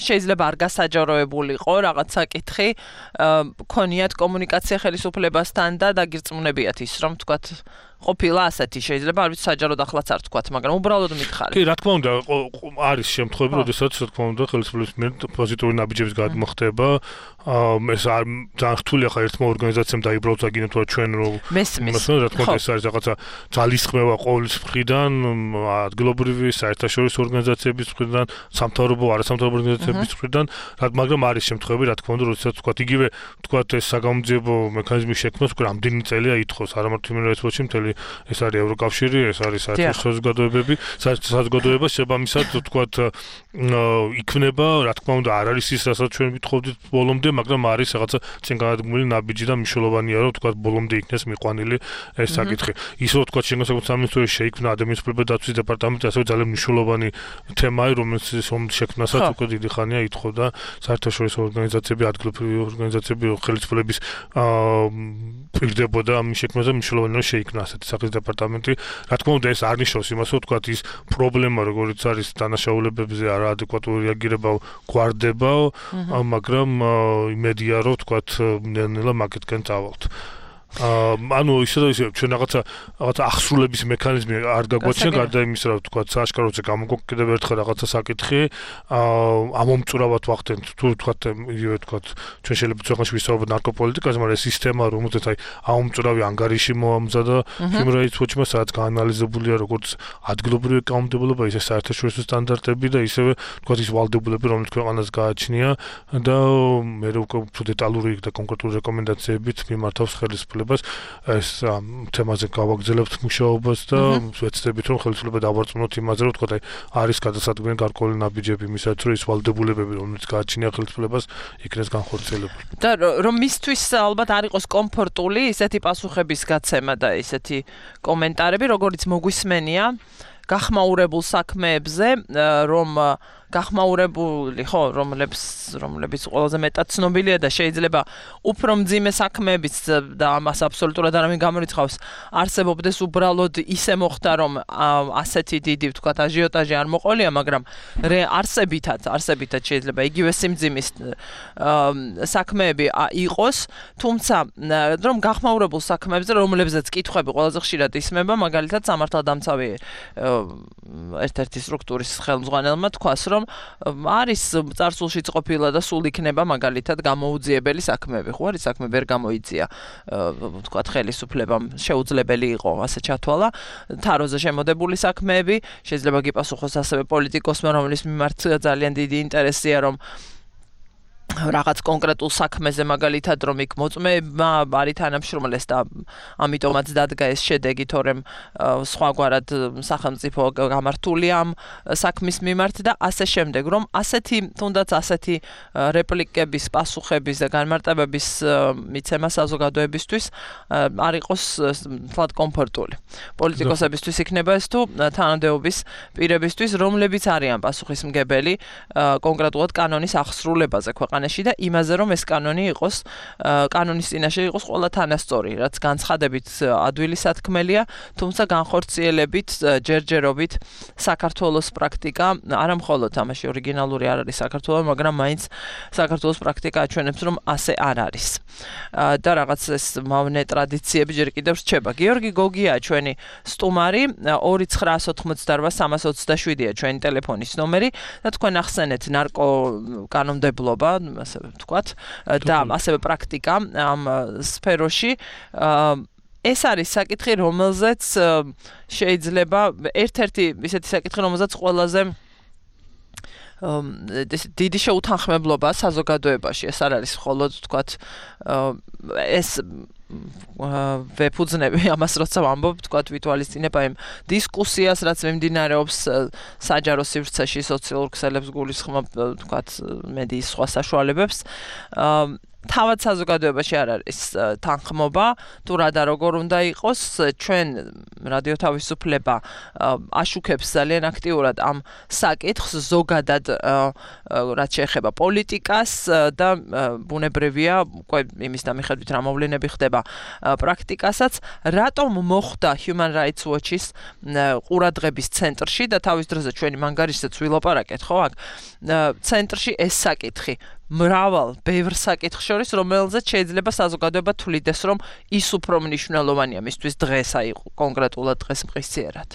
შეიძლება არ გასაჯაროებულიყო რაღაც საკითხი, ქონიათ კომუნიკაცია ხელისუფლებასთან და დაგირწმუნებიათ ის, რომ თქვათ ყოფილა ასეთი შეიძლება არ ვიცი საჯაროდ ახლაც არ თქვათ, მაგრამ უბრალოდ მითხარი. კი, რა თქმა უნდა, არის შემთხვევები, როდესაც რა თქმა უნდა ხელისუფლების მიერ პოზიტიური ნაბიჯების გადმოხდება. ეს არ ძალიან რთულია ხა ერთმა ორგანიზაციამ დაიბრალოს აგინოთ რა ჩვენ რომ მესმის. რა თქმა უნდა ეს არის რაღაცა ძალისხმევა ყოვლის მხრიდან, ადგილობრივი საერთაშორისო ორგანიზაციების მხრიდან, სამთავრობო, არასამთავრობო ორგანიზაციების მხრიდან, მაგრამ არის შემთხვევები, რა თქმა უნდა, როდესაც თქვათ იგივე თქვათ ეს საგამოძიებო მექანიზმის შექმნას უკვე რამდენი წელია ითხოვს, არა მარტო იმერეთში მთელი ეს არის ევროკავშირი, ეს არის საერთაშორისო საზოგადოებები, საზოგადოება შესაბამისად თქვათ იქნება, რა თქმა უნდა, არ არის ის, რასაც ჩვენ ვითხოვდით ბოლომდე, მაგრამ არის რაღაცა წინ გადადგმული ნაბიჯი და მნიშვნელოვანია, რომ თქვათ ბოლომდე იქნეს მიყვანილი ეს საკითხი. ის რომ თქვათ შინაგან სამინისტროში შეიქმნა ადამიანის უფლებათა დაცვის დეპარტამენტი, ასევე ძალიან მნიშვნელოვანი თემაა, რომელიც შექმნასაც უკვე დიდი ხანია ითხოვდა საერთაშორისო ორგანიზაციები, ადგილობრივი ორგანიზაციები, ხელისუფლების პირდებოდა ამ შექმნაზე, მნიშვნელოვანია შეიქმნა ასეთი სახის დეპარტამენტი. რა თქმა უნდა, ეს არ ნიშნავს იმას, რომ თქვათ ის პრობლემა, როგორც არის დანაშაულებებზე არაადეკვატური რეაგირება გვარდება, მაგრამ იმედია რომ თქვათ ნელ-ნელა მაგეთკენ წავალთ. ანუ ისე ჩვენ რაღაცა ახსრულების მექანიზმი არ გაგვაჩნია გარდა იმისა, რომ თქვათ სააშკაროზე გამოგვაქვს კიდევ ერთხელ რაღაცა საკითხი, ამომწურავად ვახდენთ თუ თქვათ იგივე თქვათ ჩვენ შეიძლება ქვეყანაში ვისაუბროთ ნარკოპოლიტიკაზე, მაგრამ ეს სისტემა რომელზეც აი ამომწურავი ანგარიში მოამზადა Human Rights Watch-მა, სადაც გაანალიზებულია როგორც ადგილობრივი კანონმდებლობა, ისე საერთაშორისო სტანდარტები და ისევე თქვათ ის ვალდებულები, რომელიც ქვეყანას გააჩნია და მე უკვე უფრო დეტალური და კონკრეტული რეკომენდაციებით მიმართავს ხელისუფლებას ეს თემაზე გავაგრძელებთ მუშაობას და ვეცდებით რომ ხელისუფლება დავარწმუნოთ იმაზე რომ თქვა არის გადასადგმელი გარკვეული ნაბიჯები იმისაც რომ ის ვალდებულებები რომელიც გააჩნია ხელისუფლებას იქნეს განხორციელებული. და რომ მისთვის ალბათ არ იყოს კომფორტული ისეთი პასუხების გაცემა და ისეთი კომენტარები როგორც მოგვისმენია გახმაურებულ საქმეებზე რომ გახმაურებული ხო რომლებიც ყველაზე მეტად ცნობილია და შეიძლება უფრო მძიმე საქმეებიც და ამას აბსოლუტურად არავინ გამორიცხავს არსებობდეს უბრალოდ ისე მოხდა რომ ასეთი დიდი ვთქვათ აჟიოტაჟი არ მოყოლია მაგრამ არსებითად შეიძლება იგივე სიმძიმის საქმეები იყოს თუმცა რომ გახმაურებულ საქმეებზე რომლებზეც კითხვები ყველაზე ხშირად ისმება მაგალითად სამართალდამცავი ერთ-ერთი სტრუქტურის ხელმძღვანელმა თქვას რომ არის წარსულშიც ყოფილა და სულ იქნება მაგალითად გამოუძიებელი საქმეები. ხო არის საქმე ვერ გამოიწია ვთქვათ ხელისუფლებამ შეუძლებელი იყო ასე ჩათვალა თაროზე შემოდებული საქმეები შეიძლება გიპასუხოს ასევე პოლიტიკოსმა რომლის მიმართ ძალიან დიდი ინტერესია რომ რაღაც კონკრეტულ საქმეზე მაგალითად რომ იქ მოწმეება არის თანამშრომლეს და ამიტომაც დადგა ეს შედეგი თორემ სხვაგვარად სახელმწიფო გამართულია ამ საქმის მიმართ და ასე შემდეგ რომ თუნდაც ასეთი რეპლიკების პასუხების და განმარტებების მიცემა საზოგადოებისთვის არ იყოს თლად კომფორტული პოლიტიკოსებისთვის იქნება ეს თუ თანამდებობის პირებისთვის რომლებიც არიან პასუხისმგებელი კონკრეტულად კანონის აღსრულებაზე და იმაზე რომ ეს კანონი იყოს კანონის წინაშე იყოს ყველა თანასწორი რაც განცხადებით ადვილი სათქმელია თუმცა განხორციელებით ჯერჯერობით საქართველოს პრაქტიკა არა მხოლოდ ამაში ორიგინალური არ არის საქართველოს მაგრამ მაინც საქართველოს პრაქტიკა აჩვენებს რომ ასე არ არის და რაღაც ეს მავნე ტრადიციები ჯერ კიდევ რჩება გიორგი გოგია ჩვენი სტუმარი 2988327-ია ჩვენი ტელეფონის ნომერი და თქვენ ახსენეთ ნარკო კანონმდებლობა ასე ვთქვათ და ასევე პრაქტიკა ამ სფეროში ეს არის საკითხი რომელზეც შეიძლება ერთ-ერთი ისეთი საკითხი რომელზეც ყველაზე დიდი შეუთანხმებლობა საზოგადოებაში ეს არ არის მხოლოდ ვთქვათ ეს ვეფუძნები ამას როცა ვამბობ ვთქვათ ვითვალისწინებ იმ დისკუსიას რაც მიმდინარეობს საჯარო სივრცეში სოციალურ ქსელებს გულისხმობ ვთქვათ მედიის სხვა საშუალებებს თავად საზოგადოებაში არ არის თანხმობა, თუ რა და როგორ უნდა იყოს, ჩვენ რადიო თავისუფლება აშუქებს ძალიან აქტიურად ამ საკითხს ზოგადად რაც შეეხება პოლიტიკას და ბუნებრივია უკვე იმის დამიხედვით რა მოვლენები ხდება პრაქტიკასაც, რატომ მოხდა Human Rights Watch-ის ყურადღების ცენტრში და თავის დროზე ჩვენი მანგარიშსაც ვილაპარაკეთ, ხო, აქ ცენტრში ეს საკითხი მრავალ ბევრ საკითხს შორის, რომელზეც შეიძლება საზოგადოება თვლიდეს, რომ ის უფრო მნიშვნელოვანია მისთვის დღეს, აი კონკრეტულად დღეს მყისიერად.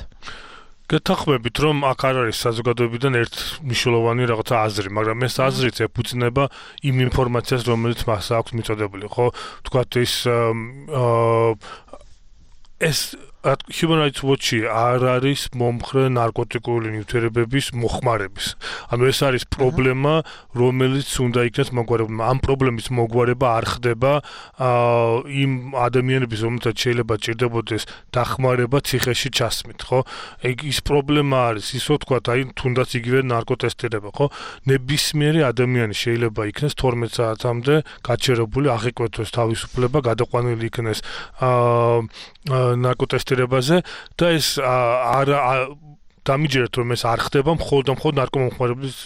გეთანხმებით, რომ აქ არ არის საზოგადოებიდან ერთ მნიშვნელოვანი რაღაცა აზრი, მაგრამ ეს აზრიც ეფუძნება იმ ინფორმაციას, რომელიც მას აქვს მიწოდებული, ხო? თქვათ ეს Human Rights Watch-ი არ არის მომხრე ნარკოტიკული ნივთიერებების მოხმარების. ანუ ეს არის პრობლემა, რომელიც უნდა იქნეს მოგვარებული. ამ პრობლემის მოგვარება არ ხდება იმ ადამიანების, რომელთაც შეიძლება ჭირდებოდეს დახმარება ციხეში ჩასმით, ხო? ის პრობლემა არის ის, რომ თქვათ, აი თუნდაც იგივე ნარკოტესტირება, ხო? ნებისმიერი ადამიანი შეიძლება იქნეს 12 საათამდე გაჩერებული, აღიკვეთოს თავისუფლება, გადაყვანილი იქნეს ნარკოტესტირებაზე და ეს არ დამიჯერეთ, რომ ეს არ ხდება მხოლოდ ნარკომომხმარებლის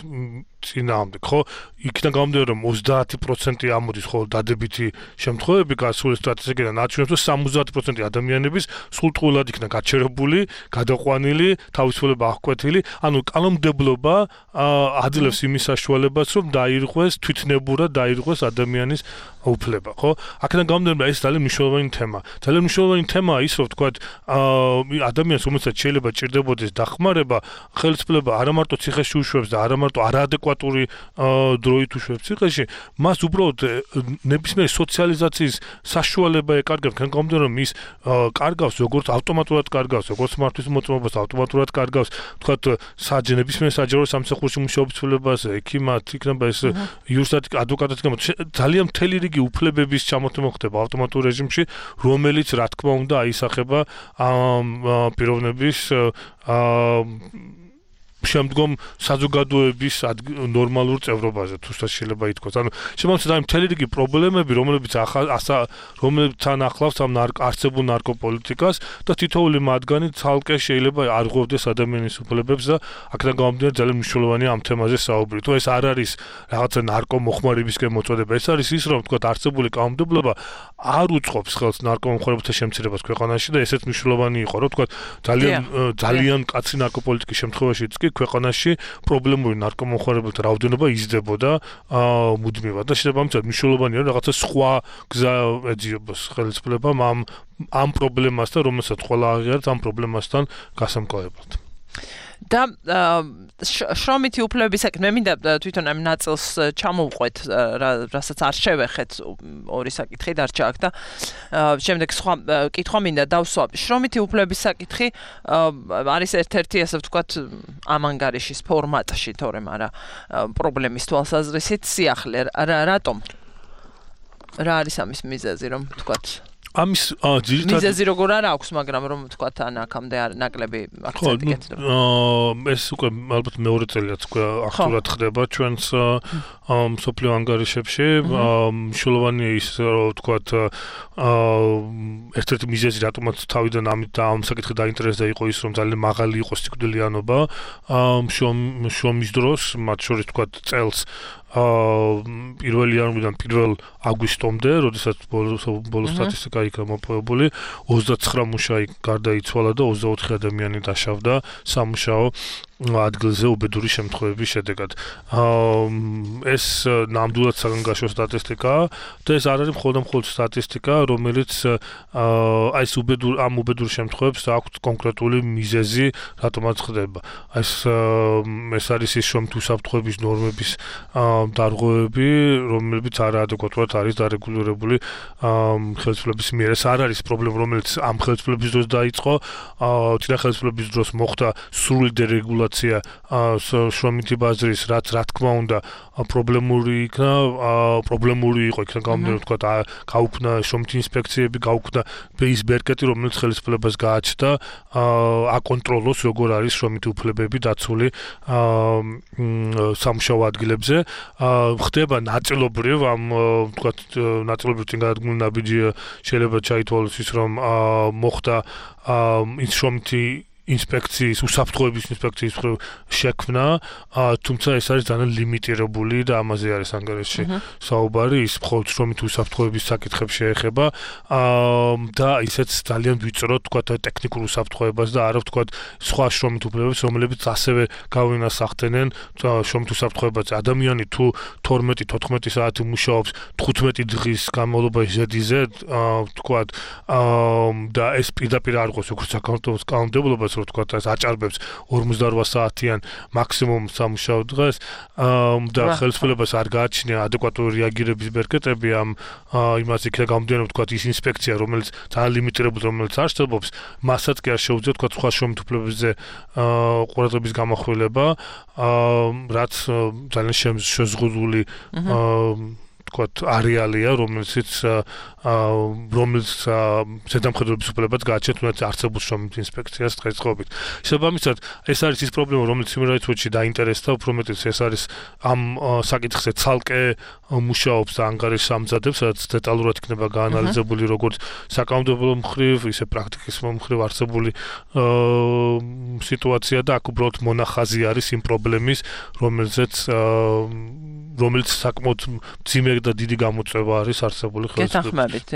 წინააღმდეგ, ხო? იქიდან გამომდინარე, რომ 30% ამოდის ხოლმე დადებითი შემთხვევები გასული სტატისტიკიდან აჩვენებს, რომ 70% ადამიანების სულტყუილად იქნა გაჩერებული, გადაყვანილი, თავისუფლება აღკვეთილი, ანუ კანონმდებლობა აძლევს იმის საშუალებას, რომ დაირღვეს თვითნებურად დაირღვეს ადამიანის უფლება, ხო? აქედან გამომდინარე, ეს ძალიან მნიშვნელოვანი თემა. ძალიან მნიშვნელოვანი თემაა ის, რომ თქვათ, ადამიანს, რომელსაც შეიძლება ჭირდებოდეს დახმარება, ხელისუფლება არა მარტო ციხეში უშვებს და არა მარტო არაადეკვატური დროით უშვებს ციხეში, მას უბრალოდ ნებისმიერი სოციალიზაციის საშუალება ეკარგავს, თქვენ გამომდინარე, რომ ის კარგავს, როგორც ავტომატურად კარგავს, როგორც მართვის მოწმობას ავტომატურად კარგავს, თქვათ, ნებისმიერ საჯარო სამსახურში მუშაობის ცვლილებაზე, ექიმად იქნება ეს იურისტად, ადვოკატად იქნება, ძალიან მთელი რიგი უფლებების ჩამოთმება ხდება ავტომატურ რეჟიმში, რომელიც რა თქმა უნდა აისახება პიროვნების შემდგომ საზოგადოების ნორმალურ წევრობაზე, თუსაც შეიძლება ითქვას. ანუ შემოგვიწყდა იმ მთელი რიგი პრობლემები, რომლებთან ახლავს ამ არსებულ ნარკოპოლიტიკას და თითოეული მათგანი ცალკე შეიძლება არ ღვევდეს ადამიანის უფლებებს და აქედან გამომდინარე ძალიან მნიშვნელოვანია ამ თემაზე საუბარი. თუ ეს არ არის რაღაცა ნარკომოხმარებისკენ მოწოდება, ეს არის ის, რომ თქვა არსებული კანონმდებლობა არ უწყობს ხელს ნარკომოხმარებათა შემცირებას ქვეყანაში და ესეც მნიშვნელოვანი იყო, რომ თქვა ძალიან კაცი ნარკოპოლიტიკის შემთხვევაშიც კი ქვეყანაში პრობლემური ნარკომოხმარებელთა რაოდენობა იზრდებოდა მუდმივად და შესაბამისად მნიშვნელოვანია რაღაცა სხვა გზა ეძიებას ხელისუფლებამ ამ პრობლემასთან, რომელსაც ყველა აღიარებს ამ პრობლემასთან გასამკლავებლად. და შრომითი უფლებების საქმე მინდა თვითონ ამ ნაწილს ჩამოვყვეთ, რასაც არ შევეხეთ, ორი საკითხი დარჩა აქ და შემდეგ სხვა კითხვა მინდა დავსვა. შრომითი უფლებების საკითხი არის ერთ-ერთი, ასე ვთქვათ, ამ ანგარიშის ფორმატში, თორემ არა პრობლემის თვალსაზრისით სიახლე. რატომ? რა არის ამის მიზეზი, რომ ვთქვათ? ამის მიზეზი როგორ არ აქვს, მაგრამ რომ ვთქვათ, ან აქამდე ნაკლები აქცენტი გეცნობა. ეს უკვე ალბათ მეორე წელია უკვე აქტიურად ხდება ჩვენს მსოფლიო ანგარიშებში. მნიშვნელოვანია ის, რომ ვთქვათ, ერთ-ერთი მიზეზი, რატომაც თავიდან ამ საკითხი დაინტერესდა იყო ის, რომ ძალიან მაღალი იყო სიკვდილიანობა შრომის დროს, მათ შორის ვთქვათ წელს 1 იანვრიდან 1 აგვისტომდე, როდესაც ბოლო სტატისტიკა იქნა მოპოვებული, 29 მუშაი გარდაიცვალა და 24 ადამიანი დაშავდა სამუშაო ადგილზე უბედური შემთხვევების შედეგად. ეს ნამდვილად საგანგაშო სტატისტიკაა და ეს არ არის მხოლოდ სტატისტიკა, რომელიც ეს ამ უბედურ შემთხვევებს აქვს კონკრეტული მიზეზი, რატომაც ხდება. ეს არის ის შრომით უსაფრთხოების ნორმების დარღვევები, რომლებიც არაადეკვატურად არის დარეგულირებული ხელისუფლების მიერ. ეს არ არის პრობლემა, რომელიც ამ ხელისუფლების დროს დაიწყო, წინა ხელისუფლების დროს მოხდა სრული დერეგულაცია სიტუაცია შრომითი ბაზრის რაც რა თქმა უნდა პრობლემური იყო იქნა გამომდინარე თქვა გაუქმნა შრომითი ინსპექციები გაუქმნა ის ბერკეტი რომელიც ხელისუფლებას გააჩნდა აკონტროლოს როგორ არის შრომითი უფლებები დაცული სამუშაო ადგილებზე ხდება ნაწილობრივ ამ თქვა ნაწილობრივ წინ გადადგმული ნაბიჯია შეიძლება ჩაითვალოს ის რომ მოხდა ის შრომითი ინსპექციის უსაფრთხოების ინსპექციის შექმნა თუმცა ეს არის ძალიან ლიმიტირებული და ამაზე არის ანგარიშში საუბარი ის მხოლოდ შრომითი უსაფრთხოების საკითხებს შეეხება და ისეც ძალიან ვიწრო თქვა ტექნიკურ უსაფრთხოებას და არა თქვა სხვა შრომით უფლებებს რომლებიც ასევე გავინასახდნენ შრომით უსაფრთხოებაზე ადამიანი თუ 12-14 საათი მუშაობს 15 დღის განმავლობაში ზედიზე თქვა და ეს პირდაპირ არ ყავს როგორც საქართველოს კანონმდებლობას რომ თქვა ეს აჭარბებს 48 საათიან მაქსიმუმ სამუშაო დღეს და ხელისუფლებას არ გააჩნია ადეკვატური რეაგირების ბერკეტები ამ იმას იქნება გამომდინარე თქვა ის ინსპექცია რომელიც ძალიან ლიმიტირებული რომელიც არსებობს მასაც კი არ შეუძლია თქვა სხვა შრომით უფლებებზე ყურადღების გამახვილება რაც ძალიან შეზღუდული თქვა არეალია რომელიც ზედამხედველობის უფლებაც გააჩნია თუნდაც არსებულ შრომით ინსპექციას დღესდღეობით. შესაბამისად, ეს არის ის პრობლემა, რომელიც Human Rights Watch-ში დაინტერესდა, უფრო მეტიც ეს არის ამ საკითხზე ცალკე მუშაობს და ანგარიშს ამზადებს, სადაც დეტალურად იქნება გაანალიზებული როგორც საკანონმდებლო მხრივ, ისე პრაქტიკის მხრივ არსებული სიტუაცია და აქ უბრალოდ მონახაზი არის იმ პრობლემის, რომელიც საკმაოდ მძიმე და დიდი გამოწვევა არის არსებული გეთანხმებით,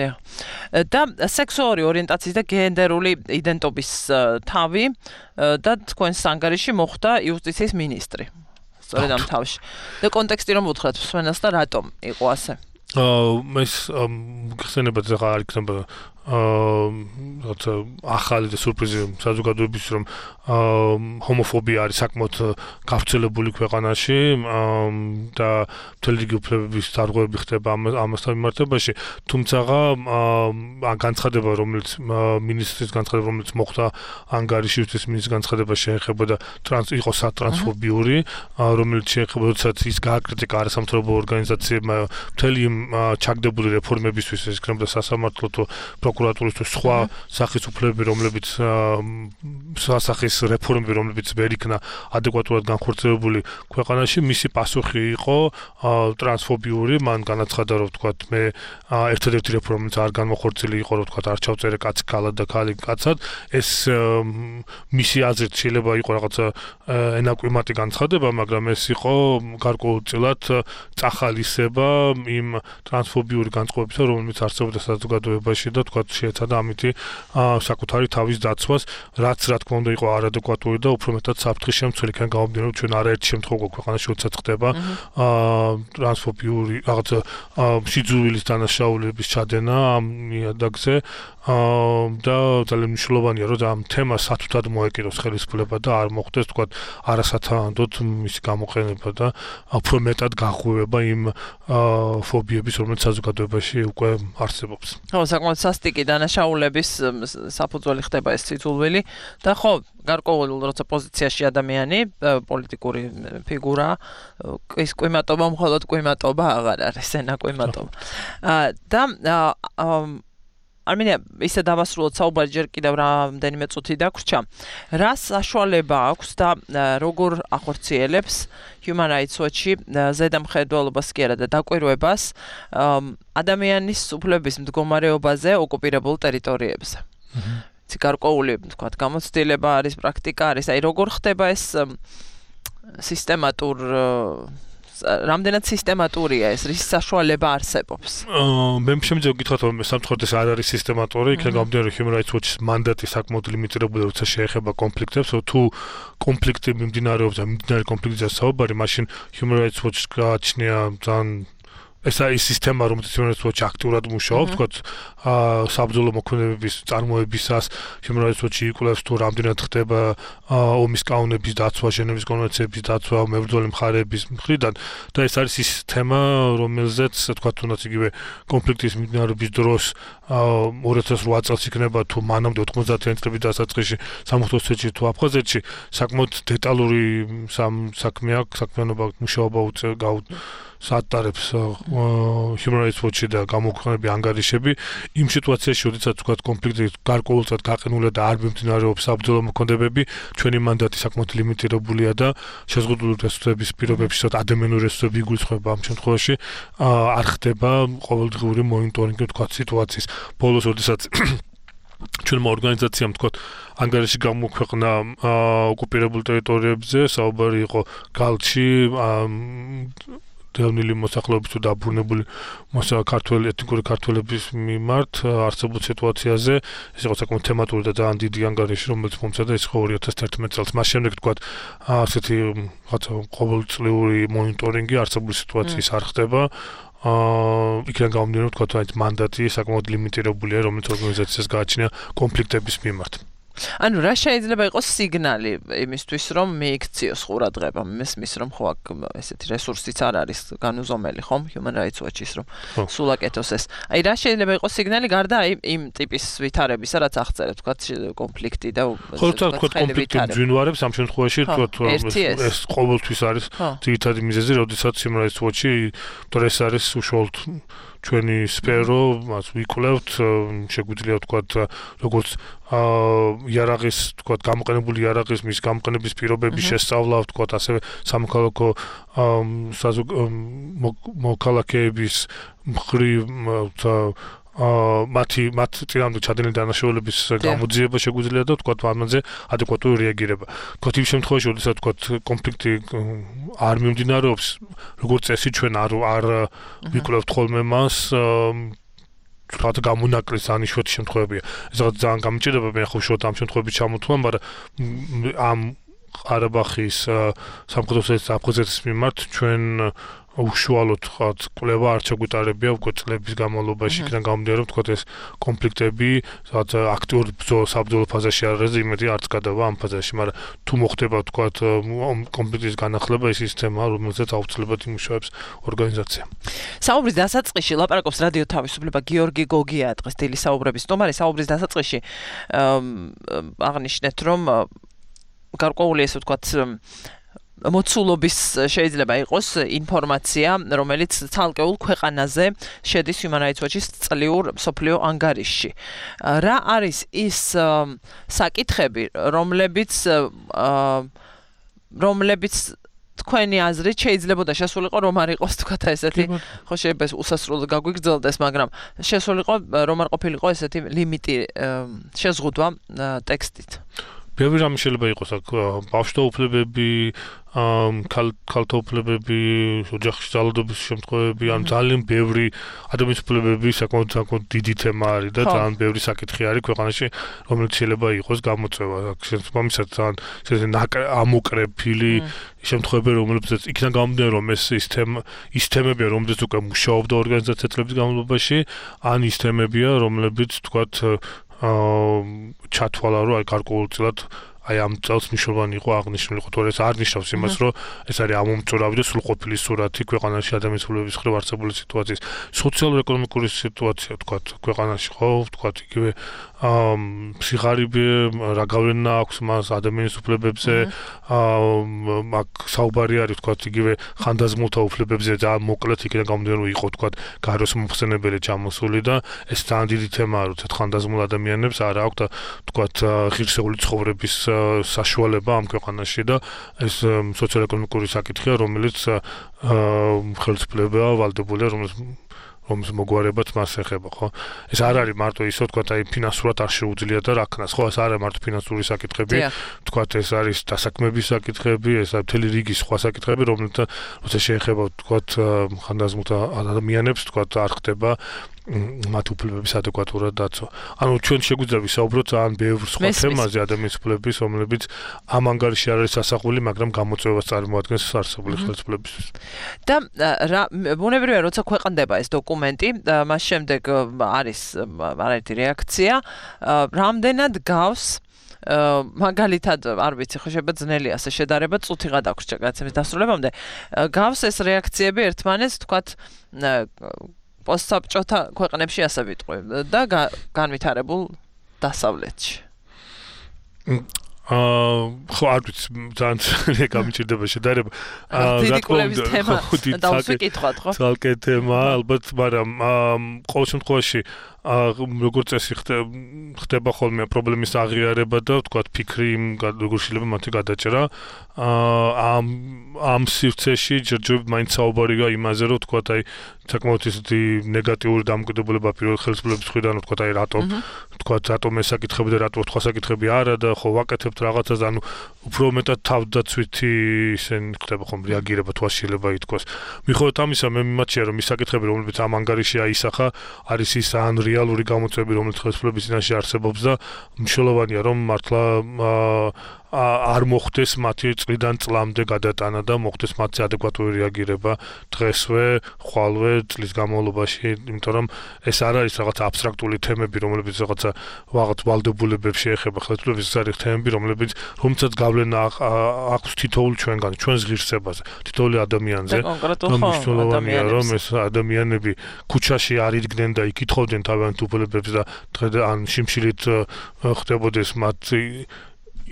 და სექსუალური ორიენტაციის და გენდერული იდენტობის თავი და თქვენს ანგარიში მოხდა იუსტიციის მინისტრი. სწორედ ამ თავში. და კონტექსტი რომ უთხრათ მსმენელს და რატომ იყო ასე? ეს გხსენებათ ახლა არ იქნება ახალი და სურპრიზი საზოგადოების რომ ჰომოფობია არის საკმაოდ გავრცელებული ქვეყანაში და მთელი რიგი უფლებების დარღვევები ხდება ამასთან მიმართებაში თუმცა განცხადება რომელიც მინისტრის განცხადება რომელიც მოხდა ანგარიში ის მინისტრის განცხადება შეეხებოდა იყო სატრანსფობიური რომელიც შეეხებოდა როდესაც ის გააკრიტიკა არასამთავრობო ორგანიზაციებმა მთელი ჩაგდებული რეფორმებისთვის ეს იქნებოდა სასამართლო თუ პროკურატურის თუ სხვა სახის უფლებები რომლებიც სასახის რეფორმები რომლებიც ვერ იქნა ადეკვატურად განხორციელებული ქვეყანაში მისი პასუხი იყო ტრანსფობიური მან განაცხადა რომ თქვა მე ერთადერთი რეფორმაც არ განმოხორციელი იყო რომ თქვა არ ჩავწერე კაცი ქალად და ქალი კაცად ეს მისი აზრით შეიძლება იყო რაღაცა ენაკვიმატი განცხადება მაგრამ ეს იყო გარკვეულწილად წახალისება იმ ტრანსფობიური განწყობებისა რომელიც არსებობდა საზოგადოებაში და თქვა შეეცადა ამითი საკუთარი თავის დაცვას რაც რა თქმა უნდა იყო არადეკვატური და უფრო მეტად საფრთხის შემცველი იქნება გამომდინარე რომ ჩვენ არაერთი შემთხვევა ქვეყანაში როდესაც ხდება ტრანსფობიური რაღაცა სიძულვილის დანაშაულების ჩადენა ამ ნიადაგზე და ძალიან მნიშვნელოვანია რომ ამ თემას სათუთად მოეკიდოს ხელისუფლება და არ მოხდეს თქვა არასათანადოდ მისი გამოყენება და უფრო მეტად გაღვივება იმ ფობიების რომელიც საზოგადოებაში უკვე არსებობს. ხო, საკმაოდ სასტიკი დანაშაულების საფუძველი ხდება ეს სიძულვილი და ხო გარკვეულ როცა პოზიციაში ადამიანი პოლიტიკური ფიგურა ის კვიმატობა მხოლოდ კვიმატობა აღარ არის ენა კვიმატობა და არმინია ისე დავასრულოთ საუბარი ჯერ კიდევ რამდენიმე წუთი დაგვრჩა რა საშუალება აქვს და როგორ ახორციელებს Human Rights Watch-ი ზედამხედველობას კი არა და დაკვირვებას ადამიანის უფლების მდგომარეობაზე ოკუპირებულ ტერიტორიებზე. გარკვეული თქვათ გამოცდილება არის პრაქტიკა არის აი როგორ ხდება ეს სისტემატურ რამდენად სისტემატურია ეს რის საშუალება არსებობს მე შემიძლია გითხრათ რომ სამწუხაროდ ეს არ არის სისტემატური იქნება გამომდინარე Human Rights Watch-ის მანდატი საკმაოდ ლიმიტირებული როცა შეეხება კონფლიქტებს თუ კონფლიქტი მიმდინარეობს და მიმდინარე კონფლიქტზე საუბარი მაშინ Human Rights Watch-ს გააჩნია ძალიან ესა ის სისტემა, რომელიც იმენაცვაში აქტიურად მუშაობს, თქვათ, საბრძოლო მოქმედებების წარმოებისას, შემოერთებში იკვლევს თუ რამდენად ხდება ომის კანონების დაცვა, ჟენევის კონვენციების დაცვა, მებრძოლი მხარეების მხრიდან და ეს არის ის თემა, რომელზეც თქვათ, თუნდაც იგივე კონფლიქტის მიმდინარეობის დროს 2008 წელს იქნება თუ მანამდე 90-იანი წლების დასაწყისში სამხატვრო სვეტში თუ აფხაზეთში საკმაოდ დეტალური საქმიანობა მუშაობა საატარებს Human Rights Watch-ი და გამოქვეყნებული ანგარიშები იმ სიტუაციაში, როდესაც თქვათ კონფლიქტი გარკვეულწილად გაყინულია და არ მიმდინარეობს საბრძოლო მოქმედებები, ჩვენი მანდატი საკმაოდ ლიმიტირებულია და შეზღუდული რესურსების პირობებში, ადამიანური რესურსები იგულისხმება ამ შემთხვევაში, არ ხდება ყოველდღიური მონიტორინგი თქვათ სიტუაციის. ბოლოს როდესაც ჩვენმა ორგანიზაციამ თქვათ ანგარიში გამოქვეყნა ოკუპირებულ ტერიტორიებზე, საუბარი იყო გალჩი დევნილი მოსახლეობის თუ დაბრუნებული ეთნიკური ქართველების მიმართ არსებულ სიტუაციაზე. ეს იყო საკმაოდ თემატური და ძალიან დიდი ანგარიში, რომელიც მომწოდა ის 2011 წელს. მას შემდეგ თქვათ ასეთი ყოველწლიური მონიტორინგი არსებული სიტუაციის არ ხდება. იქიდან გამომდინარე თქვათ მანდატი საკმაოდ ლიმიტირებულია, რომელიც ორგანიზაციას გააჩნია კონფლიქტების მიმართ. ანუ რა შეიძლება იყოს სიგნალი იმისთვის, რომ მიიქციოს ყურადღება, მესმის რომ ხო აქ ესეთი რესურსიც არ არის განუზომელი, ხომ, Human Rights Watch-ის რომ სულ აკეთოს ეს. აი რა შეიძლება იყოს სიგნალი გარდა იმ ტიპის ვითარებისა, რაც აღწერეთ, თქვათ კონფლიქტი და თქვათ კონფლიქტი მძვინვარებს ამ შემთხვევაში თქვათ ეს ყოველთვის არის ძირითადი მიზეზი, როდესაც Human Rights Watch-ი ეს არის უშუალოდ ჩვენი სფერო, მას ვიკვლევთ, შეგვიძლია თქვათ როგორც იარაღის, თქვათ გამოყენებული იარაღის მის გამოყენების პირობების შესწავლა, თქვათ ასევე სამოქალაქო მოქალაქეების მხრივ მათ წინამდე ჩადენილი დანაშაულების გამოძიება შეგვიძლია და თქვათ ამაზე ადეკვატური რეაგირება. თქვათ იმ შემთხვევაში, როდესაც თქვათ კონფლიქტი არ მიმდინარეობს, როგორც წესი ჩვენ არ ვიკვლევთ ხოლმე მას თქვათ გამონაკლის ანიშვეთ შემთხვევებია. ეს რაღაც ძალიან გამიჭირდება მე ხო უშუალოდ ამ შემთხვევებში ჩამოთვლა, მაგრამ ამ ყარაბაღის სამხედრო აფხაზეთის მიმართ ჩვენ უშუალოდ თქვათ კვლევა არ ჩაგვიტარებია უკვე წლების განმავლობაში, იქიდან გამომდინარე, თქვათ ეს კონფლიქტები, სადაც აქტიურ საბრძოლო ფაზაში არ არის, იმედი არც გადავა ამ ფაზაში, მაგრამ თუ მოხდება თქვათ კონფლიქტის განახლება, ეს ის თემა, რომელზეც აუცილებლად იმუშავებს ორგანიზაცია. საუბრის დასაწყისში ლაპარაკობს რადიო თავისუფლება გიორგი გოგია დღეს დილის საუბრების სტუმარი. საუბრის დასაწყისში აღნიშნეთ, რომ გარკვეული ესე ვთქვათ მოცულობის შეიძლება იყოს ინფორმაცია, რომელიც ცალკეულ ქვეყანაზე შედის Human Rights Watch-ის წლიურ მსოფლიო ანგარიშში. რა არის ის საკითხები, რომლებიც თქვენი აზრით შეიძლებოდა შესულიყო რომ არ იყოს თქვათ ესეთი, ხო შეიძლება უსასრულოდ გაგვიგრძელდეს, მაგრამ შესულიყო რომ არ ყოფილიყო ესეთი ლიმიტი შეზღუდვა ტექსტით. ბევრი რამე შეიძლება იყოს აქ ბავშვთა უფლებები, ქალთა უფლებები, ოჯახში ძალადობის შემთხვევები, ან ძალიან ბევრი ადამიანის უფლებები საკმაოდ დიდი თემა არის და ძალიან ბევრი საკითხი არის ქვეყანაში, რომელიც შეიძლება იყოს გამოწვევა. შესაბამისად ძალიან ამოკრეფილი შემთხვევები, რომლებიც იქიდან გამომდინარე, რომ ის თემებია, რომლებიც უკვე მუშაობდა ორგანიზაცია წლების განმავლობაში, ან ის თემებია, რომლებიც თქვათ ჩათვალა, რომ აი გარკვეულწილად აი ამ წელს მნიშვნელოვანი იყო აღნიშნული, თორე ეს არ ნიშნავს იმას, რომ ეს არის ამომწურავი და სრულყოფილი სურათი ქვეყანაში ადამიანის უფლებების მხრივ არსებული სიტუაციის. სოციალურ-ეკონომიკური სიტუაცია, თქვათ, ქვეყანაში ხო, თქვათ, იგივე სიღარიბე, რა გავლენა აქვს მას ადამიანის უფლებებზე, აქ საუბარი არის, თქვათ, იგივე ხანდაზმულთა უფლებებზე და მოკლედ იქიდან გამომდინარე, რომ იყო, თქვათ, გაროს მომხსენებელი ჩამოსული და ეს ძალიან დიდი თემაა, როცა ხანდაზმულ ადამიანებს არ აქვს და, თქვათ, ღირსეული ცხოვრების საშუალება ამ ქვეყანაში და ეს სოციალურ-ეკონომიკური საკითხია, რომელიც ხელისუფლებაა ვალდებულია, რომლის მოგვარებაც მას ეხება, ხო? ეს არ არის მარტო ისო, თქვათ, აი ფინანსურად არ შეუძლია და რა ქნას, ხო? ეს არ არის მარტო ფინანსური საკითხები, თქვათ, ეს არის დასაქმების საკითხები, ეს არის მთელი რიგი სხვა საკითხები, რომელთა როცა შეეხება, თქვათ, ხანდაზმულთა ადამიანებს, თქვათ, არ ხდება მათ უფლებების ადეკვატურად დაცვა. ანუ ჩვენ შეგვიძლია ვისაუბროთ ძალიან ბევრ სხვა თემაზე ადამიანის უფლებების, რომლებიც ამ ანგარიში არ არის ასახული, მაგრამ გამოწვევას წარმოადგენს არსებული ხელისუფლებისთვის. და ბუნებრივია, როცა ქვეყნდება ეს დოკუმენტი, მას შემდეგ არის არაერთი რეაქცია, რამდენად გავს მაგალითად არ ვიცი ხო შეიძლება ძნელი ასე შედარება წუთიღა დაგვრჩა გადაცემის დასრულებამდე გავს ეს რეაქციები ერთმანეთს თქვათ პოსტსაბჭოთა ქვეყნებში ასე ვიტყვი და განვითარებულ დასავლეთში ხო არ ვიცი ძალიან გამიჭირდება შედარება რატომ თემა დავსვიკითხოთ ხო ცალკე თემა ალბათ მაგრამ ყოველ შემთხვევაში როგორც წესი ხდება ხოლმე პრობლემის აღიარება და თქვათ ფიქრი როგორ შეიძლება მათი გადაჭრა ამ სივრცეში ჯერჯერობით მაინც საუბარია იმაზე რომ თქვათ აი საკმაოდ ისეთი ნეგატიური დამოკიდებულება პირველ ხელისუფლების მხრიდან თქვათ აი რატომ ეს საკითხები და რატომ სხვა საკითხები არა და ხო ვაკეთებთ რაღაცას ანუ უფრო მეტად თავდაცვითი ისინი ხდება ხომ რეაგირება თუ შეიძლება ითქვას მიუხედავად ამისა მე მიმაჩნია რომ ის საკითხები რომლებიც ამ ანგარიში აისახა არის ის ან რეალური გამოწვევები რომელიც ხელისუფლების წინაშე არსებობს და მნიშვნელოვანია რომ მართლა არ მოხდეს მათი წლიდან წლამდე გადატანა და მოხდეს მათი ადეკვატური რეაგირება დღესვე, ხვალვე წლის განმავლობაში, იმიტომ რომ ეს არ არის რაღაც აბსტრაქტული თემები, რომლებიც რაღაცა ვალდებულებებს შეეხება ხელისუფლების არის თემები, რომლებსაც გავლენა აქვს თითოეულ ჩვენგან, ჩვენს ღირსებაზე, თითოეული ადამიანზე. და მნიშვნელოვანია რომ ეს ადამიანები ქუჩაში არ იდგნენ და იკითხავდნენ თავიანთ უფლებებს და ან შიმშილით ხდებოდეს მათი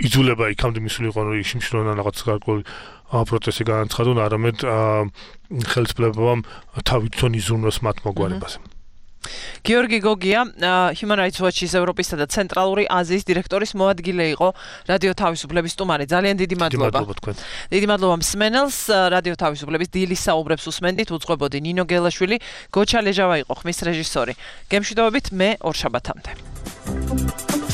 იზულება იქამდე მისულიყო რომ შიმშილოვან რაღაც გარკვეული პროტესტი განაცხადონ, არამედ ხელისუფლებამ თავისთავად იზრუნოს მათ მოგვარებაზე. გიორგი გოგია, Human Rights Watch-ის ევროპისა და ცენტრალური აზიის დირექტორის მოადგილე იყო რადიო თავისუფლების სტუმარი. ძალიან დიდი მადლობა. დიდი მადლობა მსმენელს. რადიო თავისუფლების დილის საუბრებს უსმენდით. უძღვებოდი ნინო გელაშვილი, გოჩა ლეჟავა იყო ხმის რეჟისორი. გემშვიდობებით მე ორ შაბათამდე.